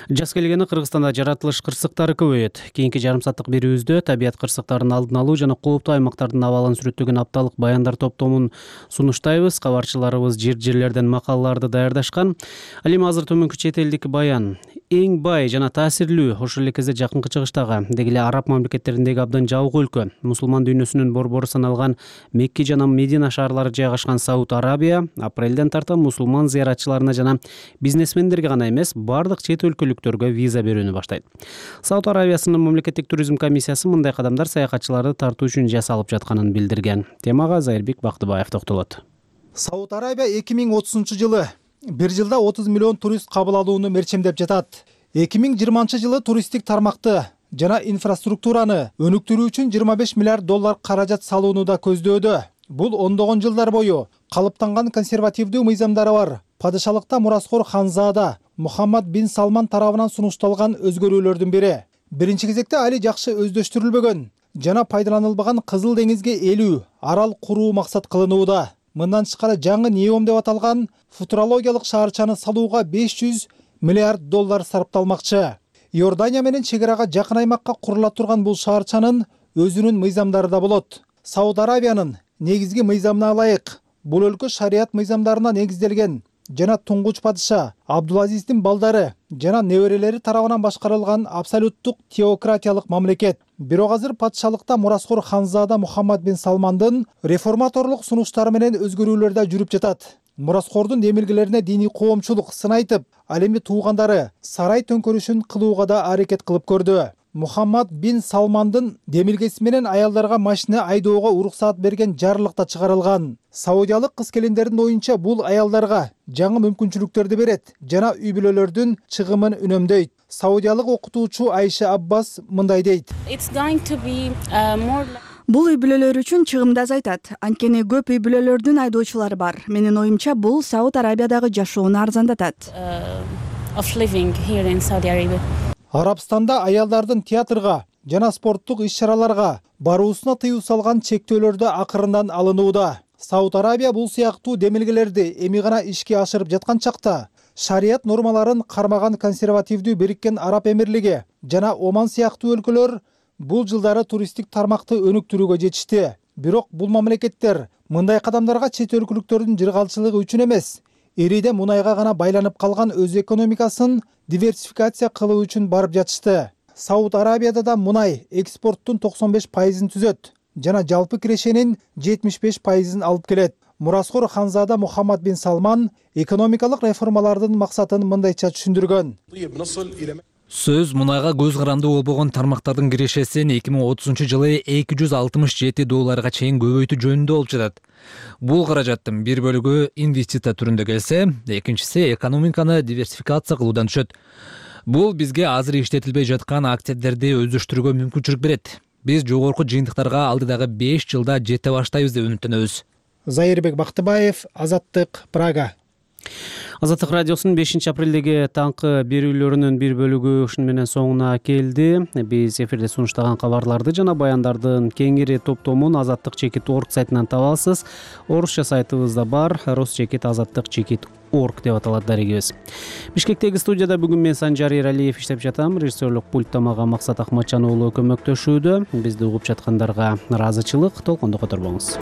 Жаз келгени Кыргызстанда жаратылыш кырсыктары көбөйөт. Кийинки жарым сааттык берүүбүздө табият кырсыктарын алдын алуу жана кооптуу аймактардын абалын сүрөттөгөн апталык баяндар топтомун сунуштайбыз. Кабарчыларыбыз жерлерден макалаларды даярдашкан. Ал эми азыр төмөнкү чет элдик баян. Эң бай жана таасирлүү, ошол эле кезде жакынкы чыгыштагы, деги эле араб мамлекеттериндеги абдан жабык өлкө, мусулман дүйнөсүнүн борбору саналган Мекки жана Медина шаарлары жайгашкан Сауд Арабия апрелден тарта мусулман зыяратчыларына жана бизнесмендерге гана эмес, бардык чет өлкөлүктөргө виза берүүнү баштайт. Сауд Арабиясынын мамлекеттик туризм комиссиясы мындай кадамдар саякатчыларды тартуу үчүн жасалып жатканын билдирген. Темага Зайырбек Бактыбаев токтолот. Сауд Арабия 2030-жылы бир жылда 30 миллион турист кабыл алууну мерчемдеп жатат. 2020-жылы туристтик тармакты жана инфраструктураны өнүктүрүү үчүн 25 миллиард доллар каражат салууну да көздөөдө. Бул ондогон жылдар бою калыптанган консервативдүү мыйзамдары бар падышалыкта мураскор ханзада Мухаммад бин Салман тарабынан сунушталган өзгөрүүлөрдүн бири. Биринчи кезекте али жакшы өздөштүрүлбөгөн жана пайдаланылбаган Кызыл деңизге 50 арал куруу максат кылынууда. Мындан тышкары жаңы Неом деп аталган футурологиялык шаарчаны салууга 500 миллиард доллар сарпталмакчы. Иордания менен чек арага жакын аймакка курула турган бул шаарчанын өзүнүн мыйзамдары да болот. Сауд Арабиянын негизги мыйзамына ылайык бул өлкө шарият мыйзамдарына негизделген жана туңгуч падыша Абдулазиздин балдары жана неберелери тарабынан башкарылган абсолюттук теократиялык мамлекет. Бирок азыр падышалыкта мураскор ханзада Мухаммад бин Салмандын реформаторлук сунуштары менен өзгөрүүлөр да жүрүп жатат. Мураскордун демилгелерине диний коомчулук сын айтып, ал эми туугандары сарай төңкөрүшүн кылууга да аракет кылып көрдү. Мухаммад бин Салмандын демилгеси менен аялдарга машина айдоого уруксаат берген жарлык да чыгарылган. Саудиялык кыз келиндердин оюнча бул аялдарга жаңы мүмкүнчүлүктөрдү берет жана үй бүлөлөрдүн чыгымын үнөмдөйт. Саудиялык окутуучу Айша Аббас мындай дейт. Бул үй бүлөлөр үчүн чыгымды азайтат. Анткени көп үй бүлөлөрдүн айдоочулары бар. Менин оюмча бул Сауд Арабиядагы жашоону арзандатат. Арабстанда аялдардын театрга жана спорттук иш-чараларга баруусуна тыюу салган чектөөлөрдү акырындан алынууда. Сауд Арабия бул сыяктуу демилгелерди эми гана ишке ашырып жаткан чакта шарият нормаларын кармаган консервативдүү Бириккен Араб Эмирлиги жана Оман сыяктуу өлкөлөр бул жылдары туристтик тармакты өнүктүрүүгө жетишти. Бирок бул мамлекеттер мындай кадамдарга чет өлкөлүктөрдүн жыргалчылыгы үчүн эмес, ириде мунайга гана байланып калган өз экономикасын диверсификация кылуу үчүн барып жатышты. Сауд Арабияда да мунай экспорттун 95%-ын түзөт жана жалпы кирешенин 75%-ын алып келет. Мураскор ханзада Мухаммад бин Салман экономикалык реформалардын максатын мындайча түшүндүргөн. Сөз мунайга көз каранды болбогон тармактардын кирешесин 2030-жылы $267 чейин көбөйтүү жөнүндө болуп жатат. Бул каражаттын бир бөлүгү инвестиция түрүндө келсе, экинчиси экономиканы диверсификация кылуудан түшөт. Бул бизге азыр иштетилбей жаткан активдерди өздөштүрүүгө мүмкүнчүлүк берет. Биз жогорку жыйынтыктарга алдыдагы 5 жылда жете баштайбыз деп үмүттөнөбүз. Зайырбек Бактыбаев, Азаттык, Прага. Азаттык радиосунун 5-апрелдеги таңкы берүүлөрүнүн бир бөлүгү ушуну менен соңуна келди. Биз эфирде сунуштаган кабарларды жана баяндардын кеңири топтомун azattik.org сайтынан табасыз. Орусча сайтыбызда бар, rus.azattik.org деп аталат дарегибиз. Бишкектеги студияда бүгүн мен Санжар Эралиев иштеп жатам. Режиссерлук пультта мага Максат Ахматжан уулу көмөктөшүүдө. Бизди угуп жаткандарга ыраазычылык, толкондо которбоңуз.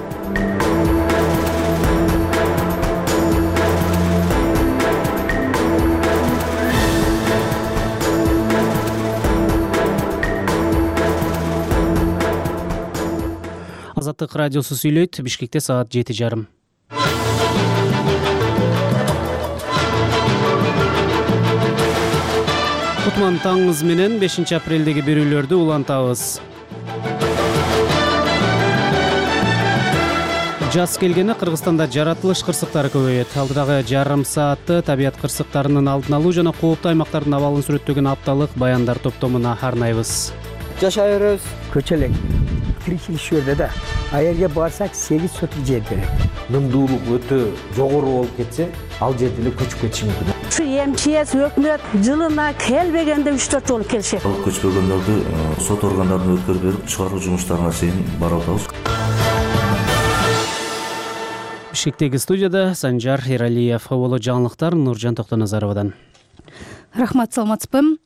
Азаттык радиосу сүйлөйт. Бишкекте саат 7:30. Кутман таңыңыз менен 5-апрелдеги берүүлөрдү улантабыз. Жаз келгени Кыргызстанда жаратылыш кырсыктары көбөйөт. Алдыдагы жарым саатты табият кырсыктарынын алдын алуу жана кооптуу аймактардын абалын сүрөттөгөн апталык баяндар топтомуна арнайбыз. Жашай беребиз. Көчөлөк. Тиричилишүүдө да а жерге барсак 8 соток жер берет. Нымдуулук өтө жогору болуп кетсе, ал жерде эле көчүп кетиши мүмкүн. Ушу МЧС өкмөт жылына келбегенде 3-4 жолу келишет. Ал көчпөгөндөрдү сот органдарына өткөрүп берип, чыгаруу жумуштарына чейин барып атабыз. Бишкектеги студияда Санжар Эралиев, боло жаңылыктар Нуржан Токтоназаровадан. Рахмат, саламатсызбы?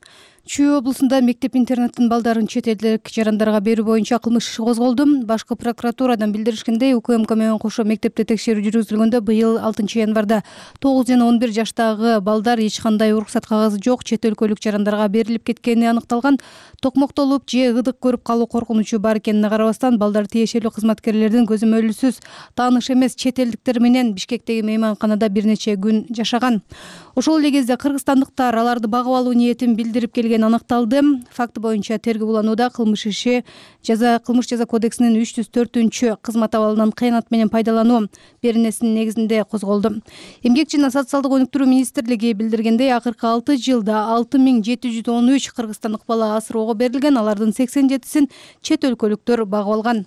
Чүй облусунда мектеп-интернаттын балдарын чет элдик жарандарга берүү боюнча кылмыш иши козголду. Башкы прокуратурадан билдиришкендей, УКМК менен кошо мектепте текшерүү жүргүзүлгөндө быйыл 6 январда 9 жана 11 жаштагы балдар эч кандай уруксат кагазы жок чет өлкөлүк жарандарга берилип кеткени аныкталган. Токмоктолуп же ыдык көрүп калуу коркунучу бар экенине карабастан, балдар тиешелүү кызматкерлердин көзөмөлүсүз тааныш эмес чет элдиктер менен Бишкектеги мейманканада бир нече күн жашаган. Ошол эле кезде кыргызстандыктар аларды багып алуу ниетин билдирип келгени аныкталды. Факты боюнча тергөө уланууда. Кылмыш жаза кодексинин 304-чү кызмат абалынан кыянат менен пайдалануу беренесинин негизинде козголду. Эмгек жана социалдык өнүктүрүү министрлиги билдиргендей, акыркы 6 жылда 6713 кыргызстандык бала асыроого берилген, алардын 87-син чет өлкөлүктөр багып алган.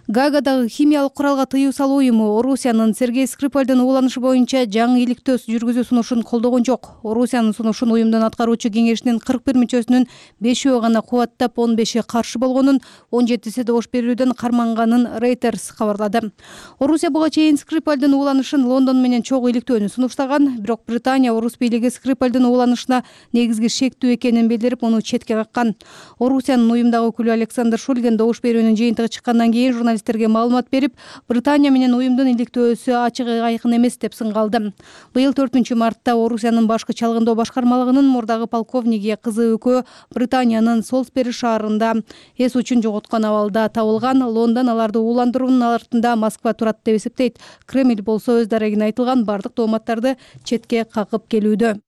Гаагадагы химиялык куралга тыюу салуу уюму Орусиянын Сергей Скрипальдын угуланышы боюнча жаңы иликтөө жүргүзүү сунушун колдогон жок. Орусиянын сунушун уюмдун аткаруучу кеңешинин 41 мүчөсүнүн 5-өө гана кубаттап, 15-и каршы болгонун, 17-си добуш берүүдөн карманганын Reuters кабарлады. Орусия буга чейин Скрипальдын угуланышын Лондон менен чогуу иликтөөнү сунуштаган, бирок Британия орус бийлиги Скрипальдын угуланышына негизги шектүү экенин билдирип, муну четке каккан. Орусиянын уюмдагы өкүлү Александр Шульгин добуш берүүнүн жыйынтыгы чыккандан кийин журналисттерге маалымат берип, Британия менен уюмдун иликтөөсү ачык айкын эмес деп сынгалды. Быйыл 4-мартта Орусиянын башкы чалгындоо башкармалыгынын мурдагы полковниги кызы экөө Британиянын Солсбери шаарында эс учун жоготкон абалда табылган. Лондон аларды ууландыруунун артында Москва турат деп эсептейт. Кремль болсо өз дарегине айтылган бардык тооматтарды четке какып келүүдө.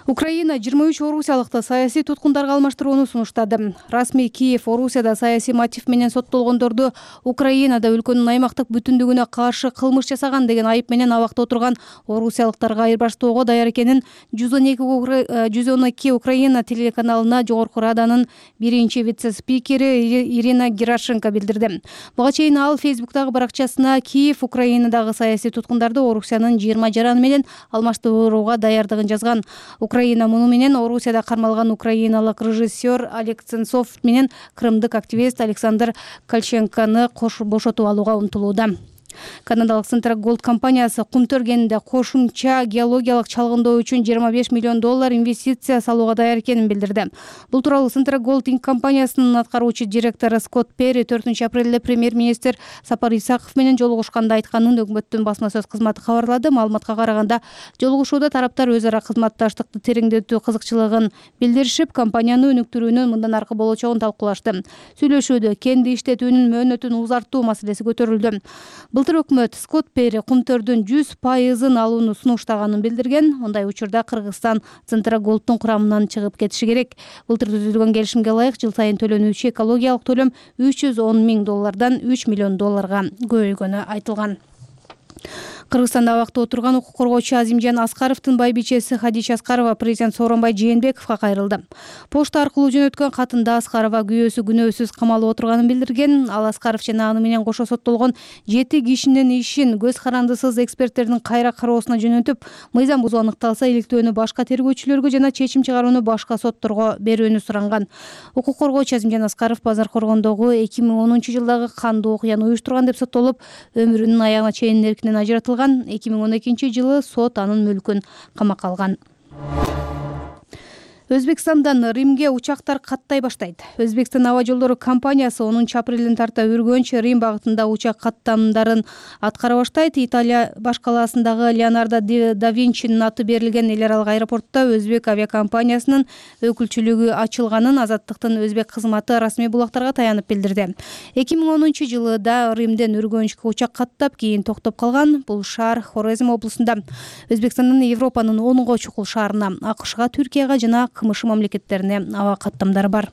Украина 23 орусиялыкты саясий туткундарга алмаштырууну сунуштады. Расмий Киев Орусияда саясий мотив менен соттолгондорду Украинада өлкөнүн аймактык бүтүндүгүнө каршы кылмыш жасаган деген айып менен абакта отурган орусиялыктарга айырбаштоого даяр экенин 112 Украина телеканалына Жогорку Раданын биринчи вице-спикери Ирина Герашенко билдирди. Буга чейин ал Фейсбуктагы баракчасына Киев Украинадагы саясий туткундарды Орусиянын 20 жараны менен алмаштырууга даярдыгын жазган. Украина муну менен Орусияда кармалган украиналык режиссер Олег Сенцов менен крымдык активист Александр Кальченконы бошотуп алууга умтулууда. Канадалык Central Gold компаниясы кум төргенинде кошумча геологиялык чалгындоо үчүн $25 миллион инвестиция салууга даяр экенин билдирди. Бул тууралуу Central Gold Inc. компаниясынын аткаруучу директору Скотт Перри 4-апрелде премьер-министр Сапар Исаков менен жолугушканда айтканын өкмөттүн басма сөз кызматы кабарлады. Маалыматка караганда, жолугушууда тараптар өз ара кызматташтыкты тереңдетүү кызыкчылыгын билдиришип, компанияны өнүктүрүүнүн мындан аркы болочогун талкуулашты. Сүйлөшүүдө кенди иштетүүнүн мөөнөтүн узартуу маселеси көтөрүлдү. Былтыр өкмөт Скотт Перри кумтөрдүн 100% алууну сунуштаганын билдирген. Мындай учурда Кыргызстан Центрогольдтун курамынан чыгып кетиши керек. Былтыр түзүлгөн келишимге ылайык жыл сайын төлөнүүчү экологиялык төлөм $310 миң $3 миллион көбөйгөнү айтылган. Кыргызстанда абакта отурган укук коргоочу Азимжан Аскаровдун байбичеси Хадича Аскарова президент Сооронбай Жээнбековго кайрылды. Почта аркылуу жөнөткөн катында Аскарова күйөөсү күнөөсүз камалып отурганын билдирген. Ал Аскаров жана аны менен кошо соттолгон 7 кишинин ишин көз карандысыз эксперттердин кайра кароосуна жөнөтүп, мыйзам бузуу аныкталса иликтөөнү башка тергөөчүлөргө жана чечим чыгарууну башка сотторго берүүнү суранган. Укук коргоочу Азимжан Аскаров Базар Коргондогу 2010-жылдагы кандуу окуяны уюштурган деп соттолуп, өмүрүнүн аягына чейин эркинен ажыратылган. 2012-жылы сот анын мүлкүн камакка алган. Өзбекстандан Римге учактар каттай баштайт. Өзбекстан аба жолдору компаниясы 10-апрелден тарта Үргөнч Рим багытында учак каттамдарын аткара баштайт. Италия баш калаасындагы Леонардо да Винчинин аты берилген эл аралык аэропортто өзбек авиакомпаниясынын өкүлчүлүгү ачылганын Азаттыктын өзбек кызматы расмий булактарга таянып билдирди. 2010-жылы Римден Үргөнчкө учак каттап, кийин токтоп калган. Бул шаар Хорезм облусунда. Өзбекстандын Европанын 10 чукул шаарына, АКШга, Түркияга жана КМШ мамлекеттерине аба каттамдары бар.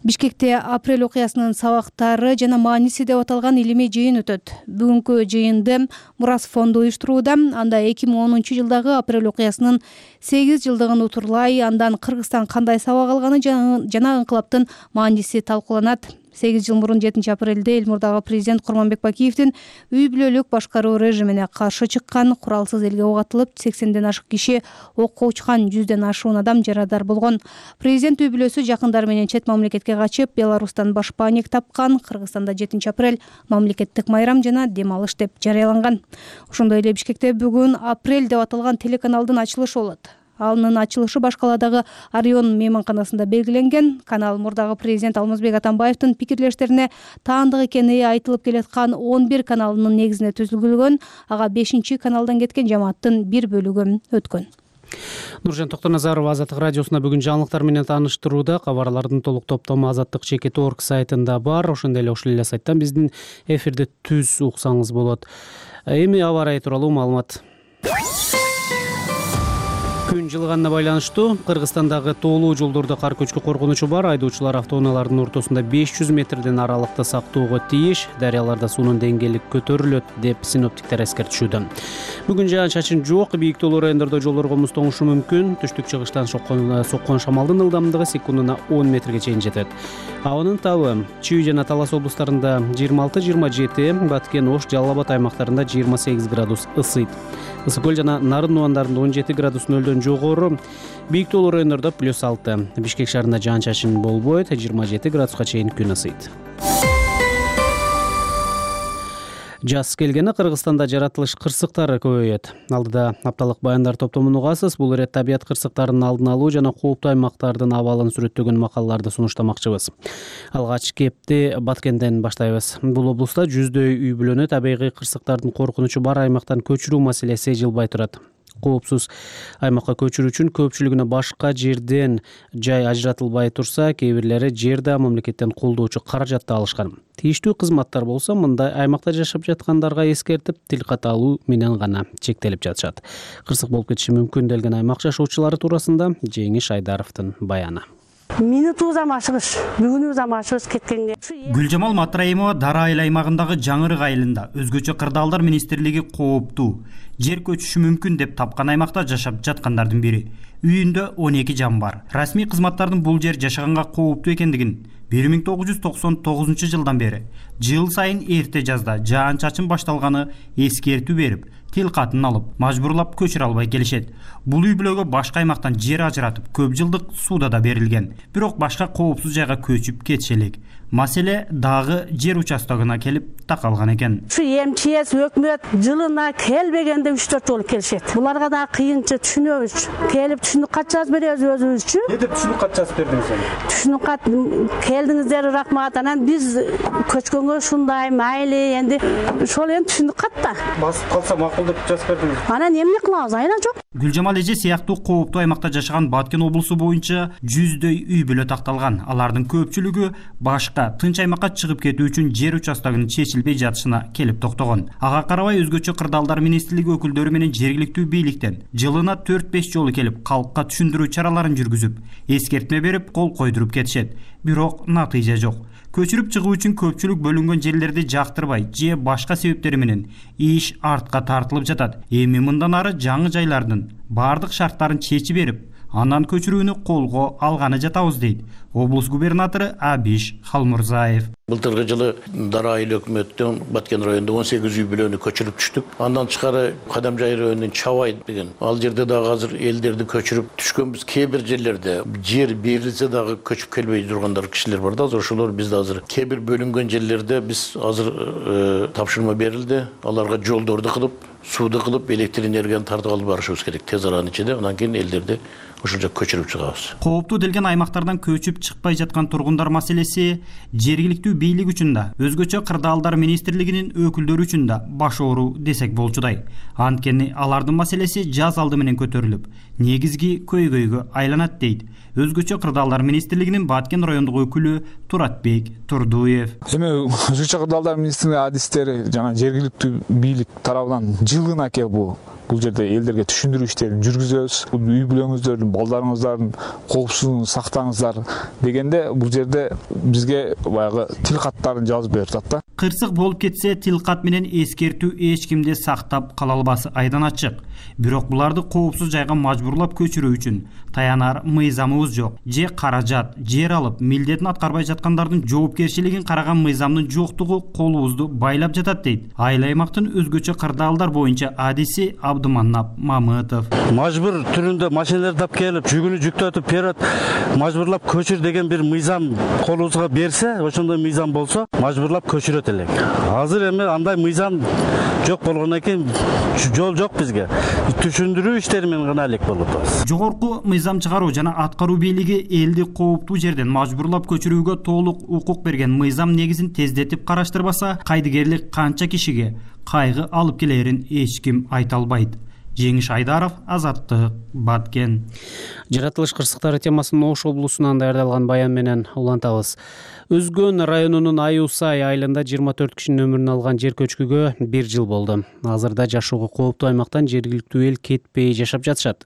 Бишкекте апрель окуясынын сабактары жана мааниси деп аталган илимий жыйын өтөт. Бүгүнкү жыйынды Мурас фонду уюштурууда. Анда 2010-жылдагы апрель окуясынын 8 жылдыгын утурлай, андан Кыргызстан кандай сабак алганы жана инкылаптын мааниси талкууланат. 8 жыл мурун 7-апрелде Элмурдагы президент Курманбек Бакиевдин үй бүлөлүк башкаруу режимине каршы чыккан куралсыз элге ок атылып, 80ден ашык киши окко учкан, 100ден ашуун адам жарадар болгон. Президент үй бүлөсү жакындары менен чет мамлекетке качып, Беларустан башпаанек тапкан. Кыргызстанда 7-апрель мамлекеттик майрам жана дем алыш деп жарыяланган. Ошондой эле Бишкекте бүгүн апрель деп аталган телеканалдын ачылышы болот. Анын ачылышы баш каладагы Орион мейманканасында белгиленген. Канал мурдагы президент Алмазбек Атамбаевдин пикирлештерине таандык экени айтылып келаткан 11 каналынын негизине түзүлгөн. Ага 5-каналдан кеткен жамааттын бир бөлүгү өткөн. Нуржан Токтоназарова Азаттык радиосуна бүгүн жаңылыктар менен тааныштырууда. Кабарлардын толук топтому azattik.org сайтында бар. Ошондой эле ушул эле сайттан биздин эфирди түз уксаңыз болот. Эми аба ырайы тууралуу маалымат. Күн жылыганына байланыштуу Кыргызстандагы тоолуу жолдордо кар көчкү коркунучу бар. Айдоочулар автоунаалардын ортосунда 500 метрден аралыкта сактоого тийиш. Дарыяларда суунун деңгээли көтөрүлөт деп синоптиктер эскертишүүдө. Бүгүн жаан-чачын жок, бийик тоолуу райондордо жолдорго муз тоңушу мүмкүн. Түштүк чыгыштан соккон шамалдын ылдамдыгы секундуна 10 метрге чейин жетет. Абанын табы Чүй жана Талас облустарында 26-27, Баткен, Ош, Жалал Абад аймактарында 28 градус ысыйт. Ысык көл жана Нарын убандарында 17 градус нөлдөн жогору. Бийик тоолуу райондордо +6. Бишкек шаарында жаан-чачын болбойт, 27 градуска чейин күн ысыйт. Жаз келгени Кыргызстанда жаратылыш кырсыктары көбөйөт. Алдыда апталык баяндар топтомун угасыз. Бул ирет табият кырсыктарынын алдын алуу жана кооптуу аймактардын абалын сүрөттөгөн макалаларды сунуштамакчыбыз. Алгач кепти Баткенден баштайбыз. Бул облуста жүздөй үй бүлөнү табигый кырсыктардын коркунучу бар аймактан көчүрүү маселеси жылбай турат. Коопсуз аймакка көчүрүү үчүн көпчүлүгүнө башка жерден жай ажыратылбай турса, кээ бирлери жерде мамлекеттен колдоочу каражатты алышкан. Тийиштүү кызматтар болсо мындай аймакта жашап жаткандарга эскертип, тил ката алуу менен гана чектелип жатышат. Кырсык болуп кетиши мүмкүн делген аймак жашоочулары туурасында Жеңиш Айдаровдун баяны. Минутубуз амашыгыш, бүгүнүбүз амашыгыш кеткенге. Гүлжамал Матраимова Дара айыл аймагындагы Жаңырык айылында өзгөчө кырдаалдар министрлиги кооптуу, жер көчүшү мүмкүн деп тапкан аймакта жашап жаткандардын бири. Үйүндө 12 жан бар. Расмий кызматтардын бул жер жашаганга кооптуу экендигин 1999 жылдан бери жыл сайын эрте жазда жаан-чачын башталганы эскертүү берип, тил катын алып, мажбурлап көчүрө албай келишет. Бул үй бүлөгө башка аймактан жер ажыратып, көп жылдык сууда да берилген. Бирок башка коопсуз жайга көчүп кетиши элек. Маселе дагы жер участогуна келип такалган экен. Ушу МЧС өкмөт жылына келбегенде 3-4 жолу келишет. Буларга да кыйынчы түшүнөбүз. Келип түшүнүк кат жазып беребиз өзүбүзчү. Эмне деп түшүнүк кат жазып бердиңиз? Түшүнүк кат келдиңиздер, рахмат. Анан биз көчкөнгө ушундай майли, энди ошол эми түшүнүк кат да. Басып калса макул деп жазып бердиңиз. Анан эмне кылабыз? Айна жок. Гүлжамал эже сыяктуу кооптуу аймакта жашаган Баткен облусу боюнча 100дөй үй бүлө такталган. Алардын көпчүлүгү башка тынч аймакка чыгып кетүү үчүн жер участогунун чечилбей жатышына келип токтогон. Ага карабай өзгөчө кырдаалдар министрлиги өкүлдөрү менен жергиликтүү бийликтен жылына 4-5 жолу келип калкка түшүндүрүү чараларын жүргүзүп, эскертме берип, кол койдуруп кетишет. Бирок натыйжа жок. Көчүрүп чыгуу үчүн көпчүлүк бөлүнгөн жерлерди жактырбай же башка себептери менен иш артка тартылып жатат. Эми мындан ары жаңы жайлардын бардык шарттарын чечип берип, андан көчүрүүнү колго алганы жатабыз дейт облус губернатору Абиш Халмурзаев. Былтыргы жылы Дара айыл өкмөттөн Баткен районунда 18 үй бүлөнү көчүрүп түштүк. Андан тышкары Кадамжай районунун Чабай деген ал жерде дагы азыр элдерди көчүрүп түшкөнбүз. Кээ бир жерлерде жер берилсе дагы көчүп келбей тургандар кишилер бар да. Азыр ошолор бизде азыр кээ бир бөлүнгөн жерлерде биз азыр тапшырма берилди. Аларга жолдорду кылып, сууду кылып, электр энергияны тартып алып барышыбыз керек тез аранын ичинде. Анан кийин элдерди ошол жака көчүрүп чыгабыз. Кооптуу делген аймактардан көчүп чыкпай жаткан тургундар маселеси жергиликтүү бийлик үчүн да, өзгөчө кырдаалдар министрлигинин өкүлдөрү үчүн да баш оору десек болчудай. Анткени алардын маселеси жаз алды менен көтөрүлүп, негизги көйгөйгө айланат дейт өзгөчө кырдаалдар министрлигинин Баткен райондук өкүлү Туратбек Турдуев. Эми өзгөчө кырдаалдар министрлиги адистери жана жергиликтүү бийлик тарабынан жылына келип бул жерде элдерге түшүндүрүү иштерин жүргүзөбүз. Үй бүлөңүздөрдүн, балдарыңыздардын коопсуздугун сактаңыздар дегенде бул жерде бизге баягы тил каттарын жазып берип атат да. Кырсык болуп кетсе тил кат менен эскертүү эч кимди сактап кала албасы айдан ачык. Бирок буларды коопсуз жайга мажбурлап көчүрүү үчүн таянар мыйзамыбыз жок. Же каражат, жер алып, милдетин аткарбай жаткандардын жоопкерчилигин караган мыйзамдын жоктугу колубузду байлап жатат дейт айыл аймактын өзгөчө кырдаалдар боюнча адиси Абдуманап Мамытов. Мажбур түрүндө машиналар тап келип, жүгүнү жүктөтүп берет, мажбурлап көчүр деген бир мыйзам колубузга берсе, ошондой мыйзам болсо, мажбурлап көчүрөт элек. Азыр эми андай мыйзам жок болгондон кийин жол жок бизге. Түшүндүрүү иштери менен гана элек болуп атабыз. Жогорку мыйзам чыгаруу жана аткаруу бийлиги элди кооптуу жерден мажбурлап көчүрүүгө толук укук берген мыйзам негизин тездетип караштырбаса, кайдыгерлик канча кишиге кайгы алып келерин эч ким айта албайт. Жеңиш Айдаров, Азаттык, Баткен. Жаратылыш кырсыктары темасын Ош облусунан даярдалган баян менен улантабыз. Өзгөн районунун Аюсай айылында 24 кишинин өмүрүн алган жер көчкүгө 1 жыл болду. Азырда жашоого кооптуу аймактан жергиликтүү эл кетпей жашап жатышат.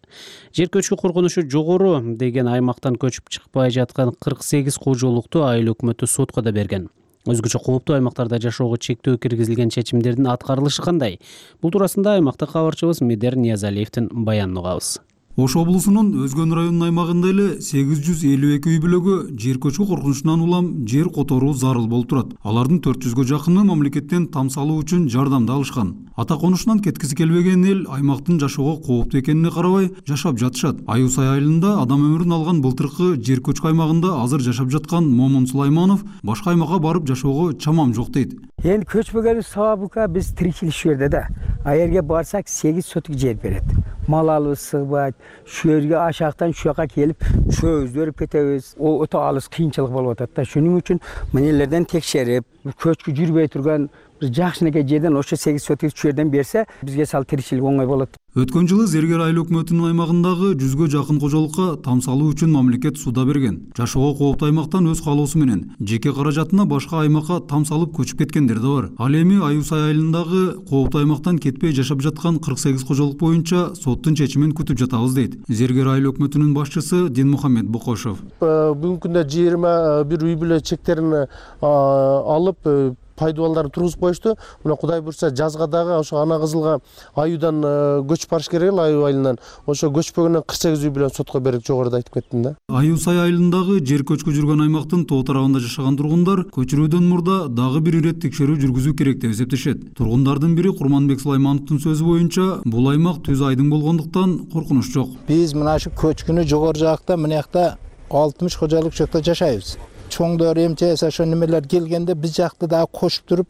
Жер көчкү коркунучу жогору деген аймактан көчүп чыкпай жаткан 48 кожолукту айыл өкмөтү сотко да берген. Өзгөчө кооптуу аймактарда жашоого чектөө киргизилген чечимдердин аткарылышы кандай? Бул туурасында аймактык кабарчыбыз Медер Ниязалиевдин баянын угабыз. Ош облусунун Өзгөн районунун аймагында эле 852 үй бүлөгө жер көчкү коркунучунан улам жер которуу зарыл болуп турат. Алардын 400гө жакыны мамлекеттен там салуу үчүн жардамды алышкан. Ата конушунан кеткиси келбеген эл аймактын жашоого кооптуу экенине карабай жашап жатышат. Аюсай айылында адам өмүрүн алган былтыркы жер көчкү аймагында азыр жашап жаткан Момун Сулайманов башка аймакка барып жашоого чамам жок дейт. Эми көчпөгөнүн сабабы биз тиричилик шу жерде да. А жерге барсак 8 сотук жер берет. Мал алып сыгбайт. Şu yerге aşağıdan şu yaka kelip çöz verip ketebиз. O öte alыс кыйынчылык болуп атат да. Şunun үчүн мынелерден текшерип, көчкү жүрбөй турган бир жакшынакай жерден ошо 8 сотук жерден берсе, бизге сал тиричилик оңой болот. Өткөн жылы Зергер айыл өкмөтүнүн аймагындагы 100гө жакын кожолукка там салуу үчүн мамлекет суда берген. Жашоого кооптуу аймактан өз каалоосу менен жеке каражатына башка аймакка там салып көчүп кеткендер да бар. Ал эми Аюсай айылындагы кооптуу аймактан кетпей жашап жаткан 48 кожолук боюнча соттун чечимин күтүп жатабыз дейт Зергер айыл өкмөтүнүн башчысы Динмухаммед Бокошов. Бүгүнкү күндө 21 үй бүлө чектерин алып пайдубалдарын тургузуп коюшту. Мына Кудай буйрса жазга дагы ошо Ана Кызылга Аюудан көчүп барыш керек эле, Аюу айылынан. Ошо көчпөгөндөн 48 үй бүлөнү сотко берип жогоруда айтып кеттим да. Аюсай айылындагы жер көчкү жүргөн аймактын тоо тарабында жашаган тургундар көчүрүүдөн мурда дагы бир ирет текшерүү жүргүзүү керек деп эсептешет. Тургундардын бири Курманбек Сулаймановдун сөзү боюнча, бул аймак түз айдың болгондуктан коркунуч жок. Биз мына ушу көчкүнү жогору жакта мына жакта 60 кожолук жакта жашайбыз. Чоңдор эмчеси ошо немелер келгенде биз жакта дагы кошуп туруп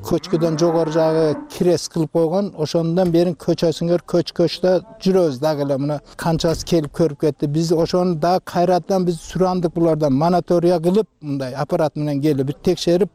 көчкүдөн жогору жагы кирес кылып койгон. Ошондон бери көчөсүңөр көчкөчтө жүрөбүз дагы эле мына канчасы келип көрүп кетти. Биз ошону дагы кайрадан биз сурандык булардан монитория кылып, мындай аппарат менен келип текшерип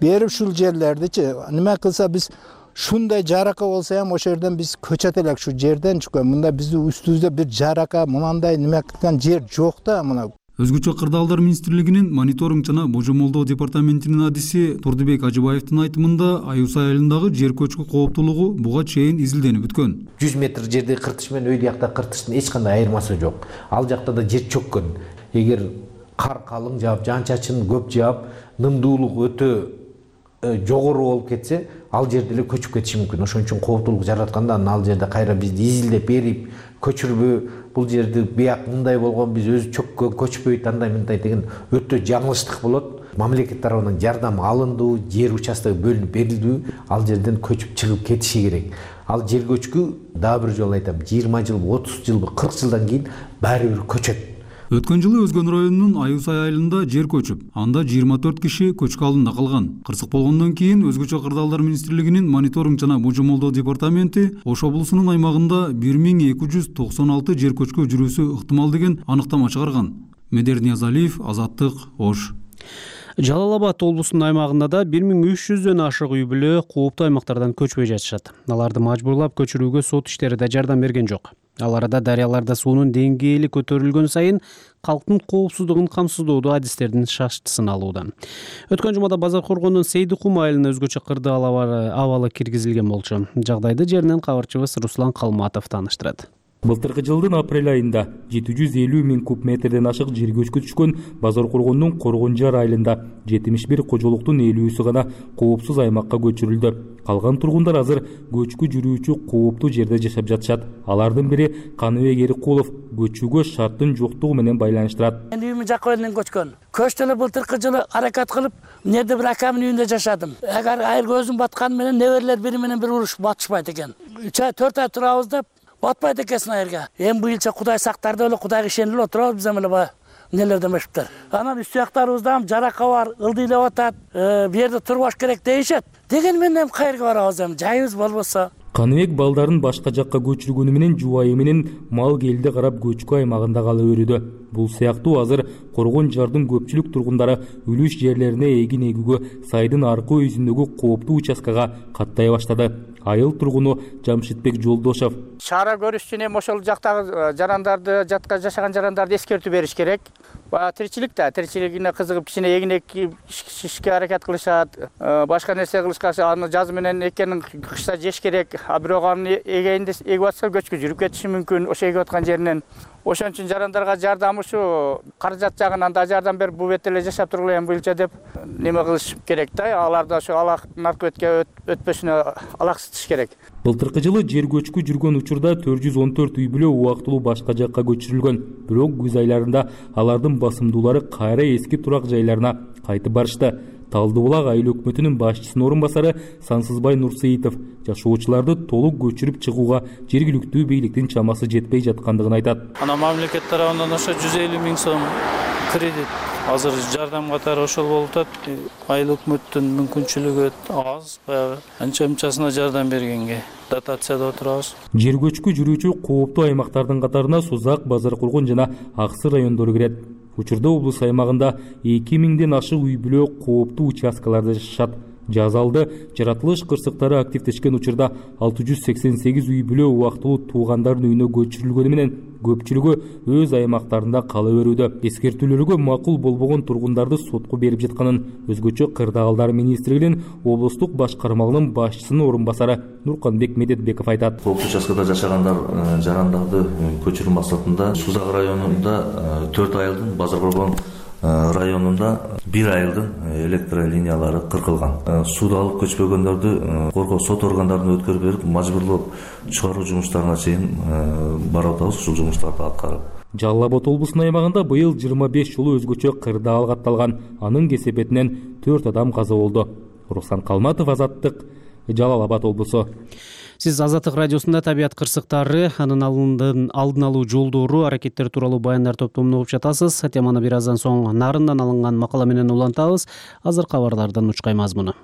берип ушул жерлердичи неме кылса биз ушундай жарака болсо ham ошол жерден биз көчөт элек, ушу жерден чыккан. Мында биздин үстүбүздө бир жарака мындай неме кылган жер жок да мына. Өзгөчө кырдаалдар министрлигинин мониторинг жана божомолдоо департаментинин адиси Турдубек Ажыбаевдин айтымында Аюсай айылындагы жер көчкү кооптуулугу буга чейин изилденип өткөн. 100 метр жерде кыртыш менен өйдө жакта кыртыштын эч кандай айырмасы жок. Ал жакта да жер чөккөн. Эгер кар калың жаап, жаан-чачын көп жаап, нымдуулук өтө жогору болуп кетсе, ал жерде эле көчүп кетиши мүмкүн. Ошон үчүн кооптуулук жаратканда ал жерде кайра бизди изилдеп берип, көчүрбө, бул жерди бияк мындай болгон, биз өзү чөккөн, көчпөйт, андай мындай деген өтө жаңылыштык болот. Мамлекет тарабынан жардам алындуу, жер участогу бөлүнүп берилдүү, ал жерден көчүп чыгып кетиши керек. Ал жер көчкү, дагы бир жолу айтам, 20 жыл, 30 жыл, 40 жылдан кийин баары бир көчөт. Өткөн жылы Өзгөн районунун Аюсай айылында жер көчүп, анда 24 киши көчкү алдында калган. Кырсык болгондон кийин Өзгөчө кырдаалдар министрлигинин мониторинг жана божомолдоо департаменти Ош облусунун аймагында 1296 жер көчкү жүрүүсү ыктымал деген аныктама чыгарган. Медер Ниязалиев, Азаттык, Ош. Жалал Абад облусунун аймагында да 1300дөн ашык үй бүлө кооптуу аймактардан көчпөй жатышат. Аларды мажбурлап көчүрүүгө сот иштери да жардам берген жок. Ал арада дарыяларда суунун деңгээли көтөрүлгөн сайын калктын коопсуздугун камсыздоодо адистердин шаштысын алууда. Өткөн жумада Базар Коргондун Сейдикум айылына өзгөчө кырдаал абалы киргизилген болчу. Жагдайды жеринен кабарчыбыз Руслан Калматов тааныштырат. Былтыркы жылдын апрель айында 750 миң куб метрден ашык жер көчкү түшкөн Базар Коргондун Коргонжар айылында 71 кожолуктун 50-сü гана коопсуз аймакка көчүрүлдү. Калган тургундар азыр көчкү жүрүүчү кооптуу жерде жашап жатышат. Алардын бири Каныбек Эрикулов көчүүгө шарттын жоктугу менен байланыштырат. Мен үйүмдүн жакка элен көчкөн. Көчтөлө былтыркы жылы аракат кылып, эмнеде бир акамдын үйүндө жашадым. Эгер айыл көзүм батканы менен неберелер бири менен бир урушуп батышпайт экен. 4 ай турабыз деп батпайт экенсиң айырга. Эми быйылча Кудай сактарды эле, Кудайга ишенип эле отурабыз биз эле нелер демешиптер. Анан үстү аяктарыбызда жарака бар, ылдыйлап атат, бу жерде турбаш керек дейишет. Деген менен кайерге барабыз эми, жайыбыз болбосо. Каныбек балдарын башка жакка көчүргөнү менен жубайы менен мал келди карап көчкү аймагында кала берүүдө. Бул сыяктуу азыр Коргонжардын көпчүлүк тургундары үлүш жерлерине эгин эгүүгө сайдын аркы өзүндөгү кооптуу участкага каттай баштады. Айыл тургуну Жамшитбек Жолдошов. Чара көрүш үчүн эми ошол жактагы жарандарды, жатка жашаган жарандарды эскертүү бериш керек. Тиричилик да, тиричилигине кызыгып кичине эгин экишке аракет кылышат. Башка нерсе кылышкан аны жаз менен экенин кышта жеш керек. А бирок аны эгенде эгип атса көчкү жүрүп кетиши мүмкүн ошо эгип аткан жеринен. Ошон үчүн жарандарга жардам ушу каражат жагынан да жардам берип бул бетте эле жашап тургула эми быйылча деп неме кылыш керек да. Аларды ошо наркотикке өтпөсүнө алаксытыш керек. Былтыркы жылы жер көчкү жүргөн учурда 414 үй бүлө убактылуу башка жакка көчүрүлгөн. Бирок күз айларында алардын басымдуулары кайра эски турак жайларына кайтып барышты. Талдыбулак айыл өкмөтүнүн башчысынын орун басары Сансызбай Нурсейитов жашоочуларды толук көчүрүп чыгууга жергиликтүү бийликтин чамасы жетпей жаткандыгын айтат. Ана мамлекет тарабынан ошо 150 миң сом кредит азыр жардам катары ошол болуп атат. Айыл өкмөттүн мүмкүнчүлүгү аз, баягы анча-мынчасына жардам бергенге дотацияда отурабыз. Жер көчкү жүрүүчү кооптуу аймактардын катарына Сузак, Базар Коргон жана Аксы райондору кирет. Учурда облус аймагында 2000ден ашык үй бүлө кооптуу участкаларда жашашат. Жазалды жаратылыш кырсыктары активдешкен учурда 688 үй бүлө убактылуу туугандардын үйүнө көчүрүлгөнү менен көпчүлүгү өз аймактарында кала берүүдө. Эскертүүлөргө макул болбогон тургундарды сотко берип жатканын Өзгөчө кырдаалдар министрлигинин облустук башкармалыгынын башчысынын орун басары Нурканбек Медетбеков айтат. Кооптуу участкада жашагандар жарандарды көчүрүү максатында Сузак районунда 4 айылдын, Базар Коргон районунда 1 айылдын электролиниялары кыркылган. Сууду алып көчпөгөндөрдү коргоо сот органдарына өткөрүп берип, мажбурлап чыгаруу жумуштарына чейин барып атабыз, ушул жумуштарды аткарып. Жалал Абад облусунун аймагында быйыл 25 жолу өзгөчө кырдаал катталган. Анын кесепетинен 4 адам каза болду. Руслан Калматов, Азаттык, Жалал Абад облусу. Сиз Азаттык радиосунда табият кырсыктары, анын алдын алуу жолдору, аракеттер тууралуу баяндар топтомун угуп жатасыз. Теманы бир аздан соң Нарындан алынган макала менен улантабыз. Азыр кабарлардан учкай мазмуну.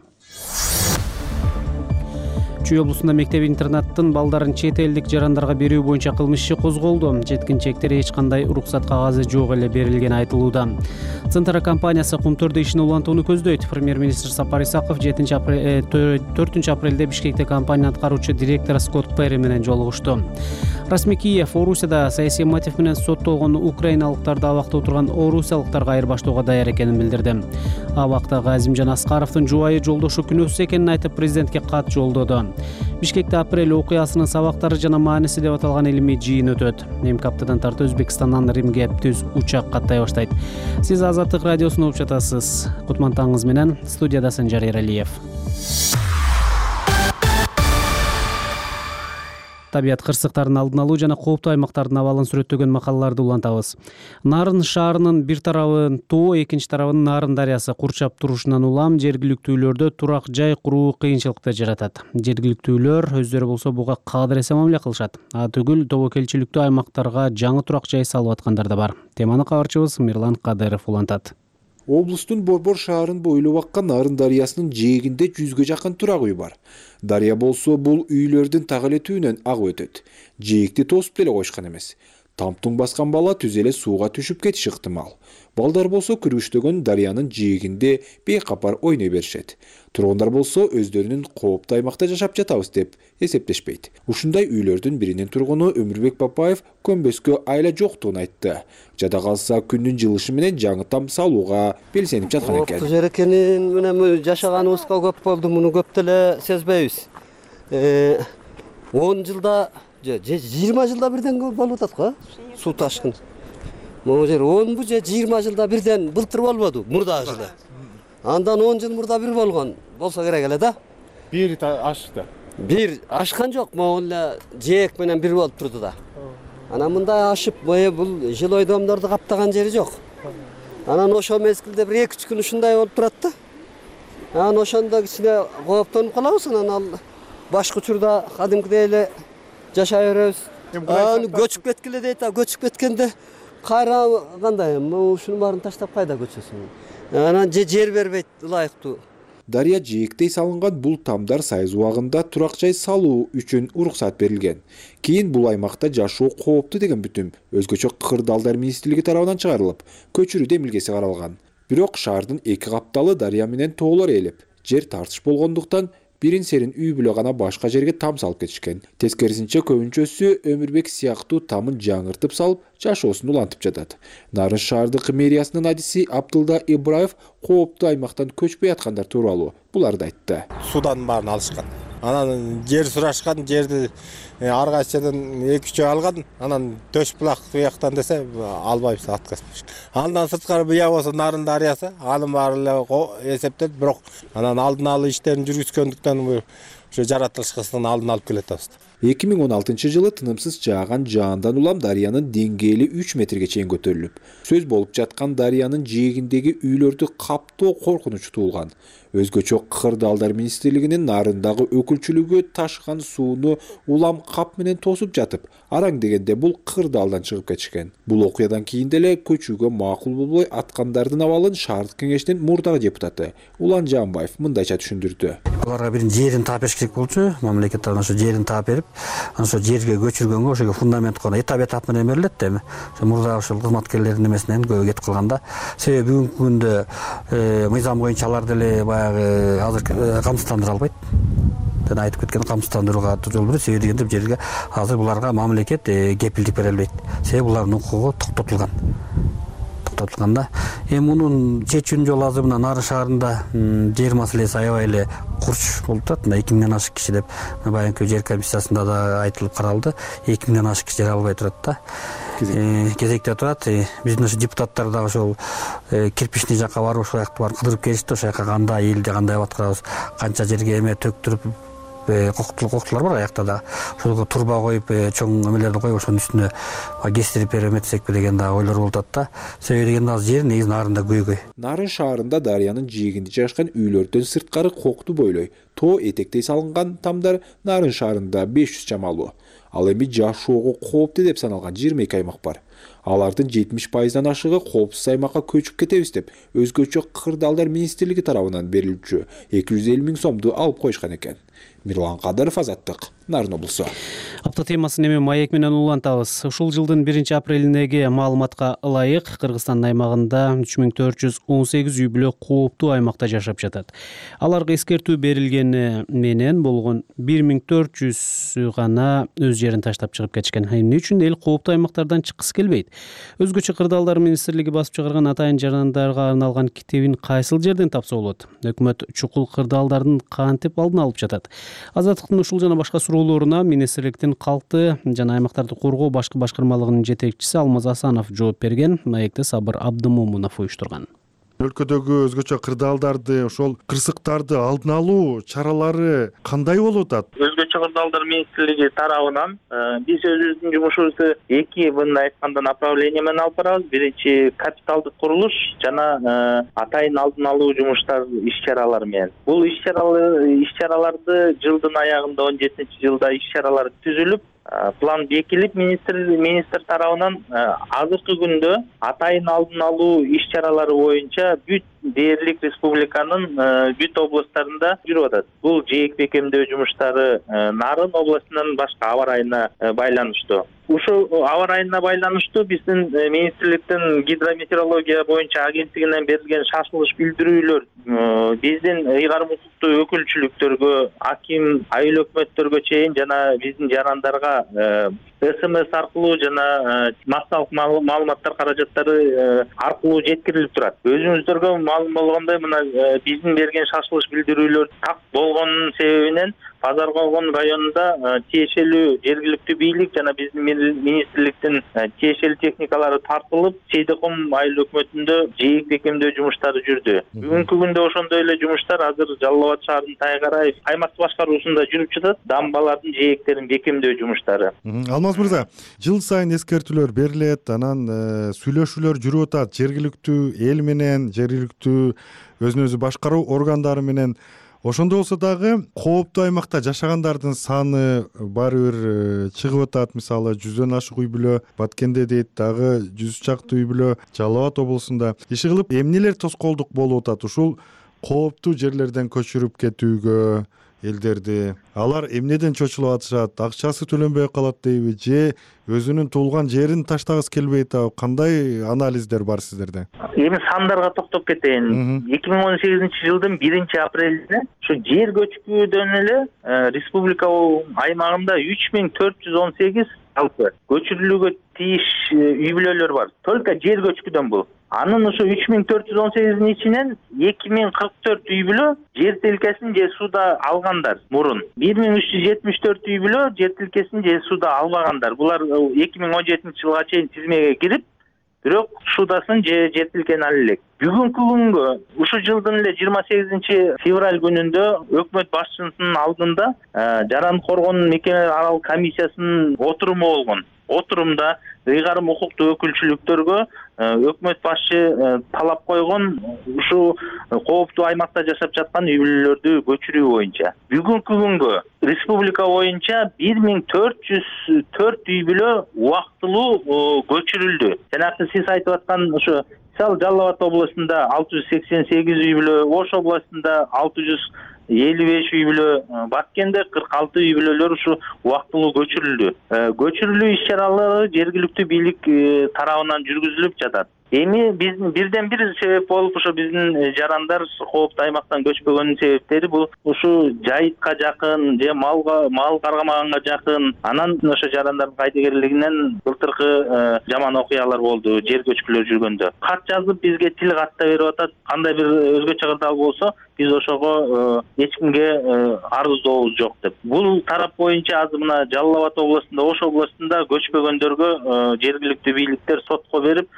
Чүй облусунда мектеп интернаттын балдарын чет элдик жарандарга берүү боюнча кылмыш иши козголду. Жеткинчектер эч кандай уруксат кагазы жок эле берилгени айтылууда. Центра компаниясы кумтөрдө ишин улантууну көздөйт. Премьер-министр Сапар Исаков 4 апрелде Бишкекте компания аткаруучу директору Скотт Перри менен жолугушту. Расмий Киев Орусияда саясий мотив менен соттолгон украиналыктарды абакта отурган орусиялыктарга айырбаштоого даяр экенин билдирди. Абактагы Азимжан Аскаровдун жубайы жолдошу күнөөсүз экенин айтып, президентке кат жолдоду. Бишкекте апрель окуясынын сабактары жана мааниси деп аталган илимий жыйын өтөт. Эмки аптадан тарты Өзбекстандан Римге түз учак каттай баштайт. Сиз Азаттык радиосун угуп жатасыз. Кутмантаңыз менен студияда Санжар Эралиев. Табият кырсыктарын алдын алуу жана кооптуу аймактардын абалын сүрөттөгөн макалаларды улантабыз. Нарын шаарынын бир тарабын тоо, экинчи тарабын Нарын дарыясы курчап турушунан улам жергиликтүүлөрдө турак жай куруу кыйынчылыкты жаратат. Жергиликтүүлөр өздөрү болсо буга кадыр эсе мамиле кылышат. Түгүл тобокелчиликтүү аймактарга жаңы турак жай салып аткандар да бар. Теманы кабарчыбыз Мирлан Кадыров улантат. Облустун Борбор шаарын бойлоп аккан Нарын дарыясынын жээгинде 100га жакын турак үй бар. Дарыя болсо бул үйлөрдүн так эле түбүнөн агып өтөт. Жээгди тосуп деле койшкан эмес. Тамтуң баскан бала түз эле сууга түшүп кетиши ыктымал. Балдар болсо күрүштөгөн дарыянын жээгинде бейкапар ойной беришет. Тургундар болсо өздөрүнүн кооптуу аймакта жашап жатабыз деп эсептешпейт. Ушундай үйлөрдүн биринин тургуну Өмүрбек Папаев көнбөскө айла жоктугун айтты. Жада калса күндүн жылышы менен жаңы там салууга белсенип жаткан экен. Жер экенин менен жашаганыбызга көп болду, муну көп деле сезбейбиз. 10 жылда, 20 жылда бирден болуп атат го, суу ташкын. Могу жер 10 же 20 жылда бирден былтыр болбоду, мурдагы жылы. Андан 10 жыл мурда бир болгон болсо керек эле да. Бир ашты. Бир ашкан жок, могу эле жээк менен бир болуп турду да. Анан мындай ашып, бул жилой домдорду каптаган жери жок. Анан ошо мезгилде бир 2-3 күн ушундай болуп турат да. Анан ошондо кичине кооптонуп калабыз, анан ал башка учурда кадимкидей эле жашай беребиз. Көчүп кеткиле дейт, көчүп кеткенде кайра кандай, ушунун баарын таштап кайда көчөсүң? Анан жер бербейт ылайыктуу. Дарыя жээктей салынган бул тамдар сайыз убагында турак жай салуу үчүн уруксат берилген. Кийин бул аймакта жашоо кооптуу деген бүтүм өзгөчө кырдаалдар министрлиги тарабынан чыгарылып, көчүрүү демилгеси каралган. Бирок шаардын 2 капталы дарыя менен тоолор ээлеп, жер тартыш болгондуктан бирин серин үй бүлө гана башка жерге там салып кетишкен. Тескерисинче көбүнчөсү Өмүрбек сыяктуу тамын жаңыртып салып, жашоосун улантып жатат. Нарын шаардык мэриясынын адиси Абдылда Ибраев кооптуу аймактан көчпөй аткандар тууралуу буларды айтты. Судан баарын алышкан. Анан жер сурашкан, жерди ар кайсы жерден 2-3 алган, анан төш булак бияктан десе албайбыз, отказ. Андан сырткары бия болсо Нарын дарыясы, анын баары эле эсептелип, бирок анан алдын алуу иштерин жүргүзгөндүктөн ошо жаратылышкысынан алдын алып келатабыз. 2016 тынымсыз жааган жаандан улам дарыянын деңгээли 3 метрге чейин көтөрүлүп, сөз болуп жаткан дарыянын жээгиндеги үйлөрдү каптоо коркунучу туулган. Өзгөчө кырдаалдар министрлигинин Нарындагы өкүлчүлүгү ташкан сууну улам кап менен тосуп жатып, араң дегенде бул кырдаалдан чыгып кетишкен. Бул окуядан кийин деле көчүүгө макул болбой аткандардын абалын шаардык кеңештин мурдагы депутаты Улан Жамбаев мындайча түшүндүрдү. Аларга бир жерин таап бериш керек болчу, мамлекет тарабынан ошо жерин таап берип, ошо жерге көчүргөнгө ошого фундамент коюп, этап менен берилет да эми. Ошо мурда ошол кызматкерлердин эмесинен көбү кетип калганда, себеби бүгүнкү күндө мыйзам боюнча алар деле баягы азыр камсыздандыра албайт. Жана айтып кеткен камсыздандырууга жол берет, себеби дегенде жерге азыр буларга мамлекет кепилдик бере албайт. Себеби булардын укугу токтотулган. Да. Мунун чечүүнүн жолу азыр мына Нарын шаарында жер маселеси аябай эле курч болуп турат. 2000ден ашык киши деп баягы жер комиссиясында да айтылып каралды. 2000ден ашык киши жер албай турат да. Кезекте турат. Биздин ошо депутаттар да ошол кирпичный жакка барып ошол жакты барып кыдырып келишти. Ошол жака кандай элди кандай аткарабыз, канча жерге эме төктүрүп коктулар бар аякта да. Ошолго турба коюп, чоң эмелерди коюп, ошонун үстүнө кестирип эметсекпи деген да ойлор болуп атат да. Себеби дегенде азыр жер негизи Нарында көйгөй. Нарын шаарында дарыянын жээгинде жайгашкан үйлөрдөн сырткары кокту бойлой тоо этектей салынган тамдар Нарын шаарында 500 чамалуу. Ал эми жашоого кооптуу деп саналган 22 аймак бар. Алардын 70%-дан ашыгы коопсуз аймакка көчүп кетебиз деп өзгөчө кырдаалдар министрлиги тарабынан берилчү 250 000 сомду алып коюшкан экен. Мирлан Кадыров, Азаттык, Нарын облусу. Апта темасын эми маек менен улантабыз. Ушул жылдын 1-апрелиндеги маалыматка ылайык Кыргызстандын аймагында 3418 үй бүлө кооптуу аймакта жашап жатат. Аларга эскертүү берилгени менен болгон 1400 гана өз жерин таштап чыгып кетишкен. Эмне үчүн эл кооптуу аймактардан чыккысы келбейт? Өзгөчө кырдаалдар министрлиги басып чыгарган атайын жарандарга арналган китебин кайсыл жерден тапса болот? Өкмөт чукул кырдаалдардын кантип алдын алып жатат? Азаттыктын ушул жана башка суроолоруна министрликтин калкты жана аймактарды коргоо башкы башкармалыгынын жетекчиси Алмаз Асанов жооп берген. Маекти Сабыр Абдымомунов уюштурган. Өлкөдөгү өзгөчө кырдаалдарды, ошол кырсыктарды алдын алуу чаралары кандай болуп атат? Өзгөчө кырдаалдар министрлиги тарабынан биз өзүбүздүн жумушубузду эки мындай айтканда направление менен алып барабыз. Биринчи капиталдык курулуш жана атайын алдын алуу жумуштар иш-чаралары менен. Бул иш-чараларды жылдын аягында 17-жылда иш-чаралар түзүлүп, план бекилип министр тарабынан азыркы күндө атайын алдын алуу иш-чаралары боюнча бүт дээрлик республиканын бүт областтарында жүрүп атат. Бул жээк бекемдөө жумуштары Нарын областынын башка аба ырайына байланыштуу. Ушул аба ырайына байланыштуу биздин министрликтин гидрометеорология боюнча агенттигинен берилген шашылыш билдирүүлөр биздин ыйгарым укуктуу өкүлчүлүктөргө, аким, айыл өкмөттөргө чейин жана биздин жарандарга СМС аркылуу жана массалык маалыматтар каражаттары аркылуу жеткирилип турат. Өзүңүздөргө маалым болгондой, мына биздин берген шашылыш билдирүүлөр так болгонунун себебинен Базар Койгон районунда тиешелүү жергиликтүү бийлик жана биздин министрликтин тиешелүү техникалары тартылып, Сейдиком айыл өкмөтүндө жээк бекемдөө жумуштары жүрдү. Бүгүнкү күндө ошондой эле жумуштар азыр Жалал Абад шаарынын Тайгарай аймак башкаруусунда жүрүп жатат. Дамбалардын жээктерин бекемдөө жумуштары. Алмаз мырза, жыл сайын эскертүүлөр берилет, анан сүйлөшүүлөр жүрүп атат жергиликтүү эл менен, жергиликтүү өзүн өзү башкаруу органдары менен. Ошондо болсо дагы кооптуу аймакта жашагандардын саны баары бир чыгып атат. Мисалы 100дөн ашык үй бүлө Баткенде дейт, дагы 100 чакты үй бүлө Жалал Абад облусунда. Иши кылып эмнелер тоскоолдук болуп атат ушул кооптуу жерлерден көчүрүп кетүүгө элдерди? Алар эмнеден чочулуп атышат? Акчасы төлөнбөй калат дейби же өзүнүн туулган жерин таштагысы келбейт? Кандай анализдер бар сиздерде? Эми сандарга токтоп кетейин. 2018-жылдын 1-апрелинде ушу жер көчкүүдөн эле республика аймагында 3418 жалпы көчүрүлүүгө тийиш үй бүлөлөр бар. Только жер көчкүдөн бул. Анын ушу 3418-ин ичинен 2044 үй бүлө жер тилкесин же сууда алгандар мурун. 1374 үй бүлө жер тилкесин же сууда албагандар. Булар 2017-жылга чейин тизмеге кирип, бирок судасын же жер тилкени ала элек. Бүгүнкү күнгө ушу жылдын эле 28-февраль күнүндө өкмөт башчысынын алдында жаран коргоонун мекемелер аралык комиссиясынын отуруму болгон. Отурумда ыйгарым укуктуу өкүлчүлүктөргө өкмөт башчы талап койгон ушу кооптуу аймакта жашап жаткан үй бүлөлөрдү көчүрүү боюнча. Бүгүнкү күнгө республика боюнча 1404 үй бүлө убактылуу көчүрүлдү. Жанагы сиз айтып аткан ушу Жалал Абад областында 688 үй бүлө, Ош областында 655 үй бүлө, Баткенде 46 үй бүлөлөр ушу убактылуу көчүрүлдү. Көчүрүлүү иш-чаралары жергиликтүү бийлик тарабынан жүргүзүлүп жатат. Эми бирден бир себеп болуп ушу биздин жарандар кооптуу аймактан көчпөгөнүн себептери бул ушу жайытка жакын же мал каргамаганга жакын. Анан ошо жарандардын кайдыгерлигинен былтыркы жаман окуялар болду жер көчкүлөр жүргөндө. Кат жазып бизге тил катта берип атат. Кандай бир өзгөчө кырдаал болсо биз ошого эч кимге арыздообуз жок деп. Бул тарап боюнча азыр мына Жалал Абад областында, Ош областында көчпөгөндөргө жергиликтүү бийликтер сотко берип,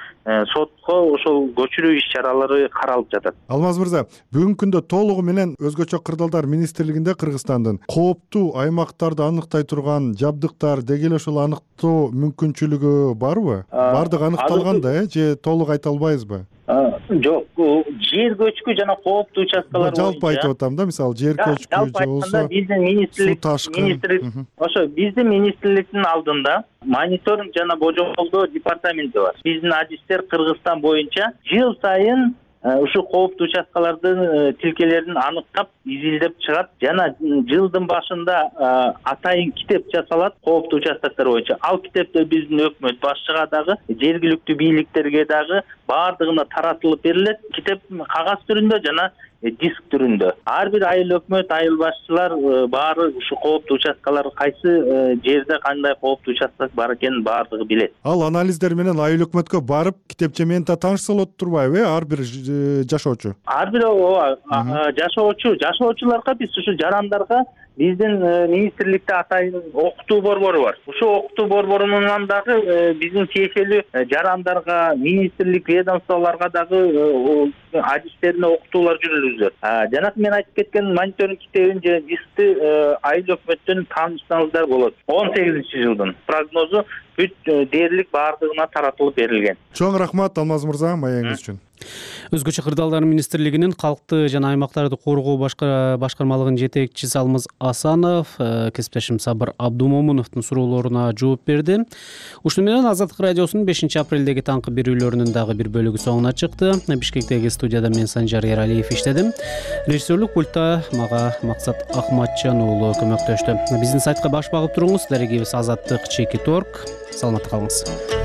сотко ошол көчүрүү иш-чаралары каралып жатат. Алмаз мырза, бүгүнкү күндө толугу менен өзгөчө кырдаалдар министрлигинде Кыргызстандын кооптуу аймактарды аныктай турган жабдыктар деги эле ошол аныктоо мүмкүнчүлүгү барбы? Бардыгы аныкталган да, же толук айта албайбызбы? Жок, жер көчкү жана кооптуу участкалар боюнча жалпы айтып атам да, мисалы жер көчкү же болбосо биздин министрлик ошо биздин министрликтин алдында мониторинг жана божомолдоо департаменти бар. Биздин адистер Кыргызстан боюнча жыл сайын ушу кооптуу участкалардын тилкелерин аныктап, изилдеп чыгат жана жылдын башында атайын китеп жасалат кооптуу участоктор боюнча. Ал китепте биздин өкмөт башчыга дагы, жергиликтүү бийликтерге дагы баардыгына таратылып берилет. Китеп кагаз түрүндө жана диск түрүндө. Ар бир айыл өкмөт, айыл башчылар баары ушу кооптуу участкалар кайсы жерде кандай кооптуу участок бар экенин баардыгы билет. Ал анализдер менен айыл өкмөткө барып китепче менен таанышса болот турбайбы, ар бир жашоочу? Ар бир жашоочуларга биз ушу жарандарга биздин министрликте атайын окутуу борбору бар. Ушу окутуу борборунан дагы биздин тиешелүү жарандарга, министрлик ведомстволорго дагы адистерине окутуулар жүргүзүлөт. Жанагы мен айтып кеткен мониторинг китебин же дискти айыл өкмөттөн таанышсаңыздар болот. 18-жылдын прогнозу бүт дээрлик баардыгына таратылып берилген. Чоң рахмат Алмаз мырза, маегиңиз үчүн. Өзгөчө кырдаалдар министрлигинин калкты жана аймактарды коргоо башкармалыгынын жетекчиси Алмаз Асанов кесиптешим Сабыр Абдумомуновдун суроолоруна жооп берди. Ушуну менен Азаттык радиосунун 5-апрелдеги таңкы берүүлөрүнүн дагы бир бөлүгү соңуна чыкты. Бишкектеги студияда мен Санжар Эралиев иштедим. Режиссерлук пультта мага Максат Ахматжан уулу көмөктөштү. Биздин сайтка баш багып туруңуз. Дарегибиз Азаттык /.org. Саламатта калыңыз.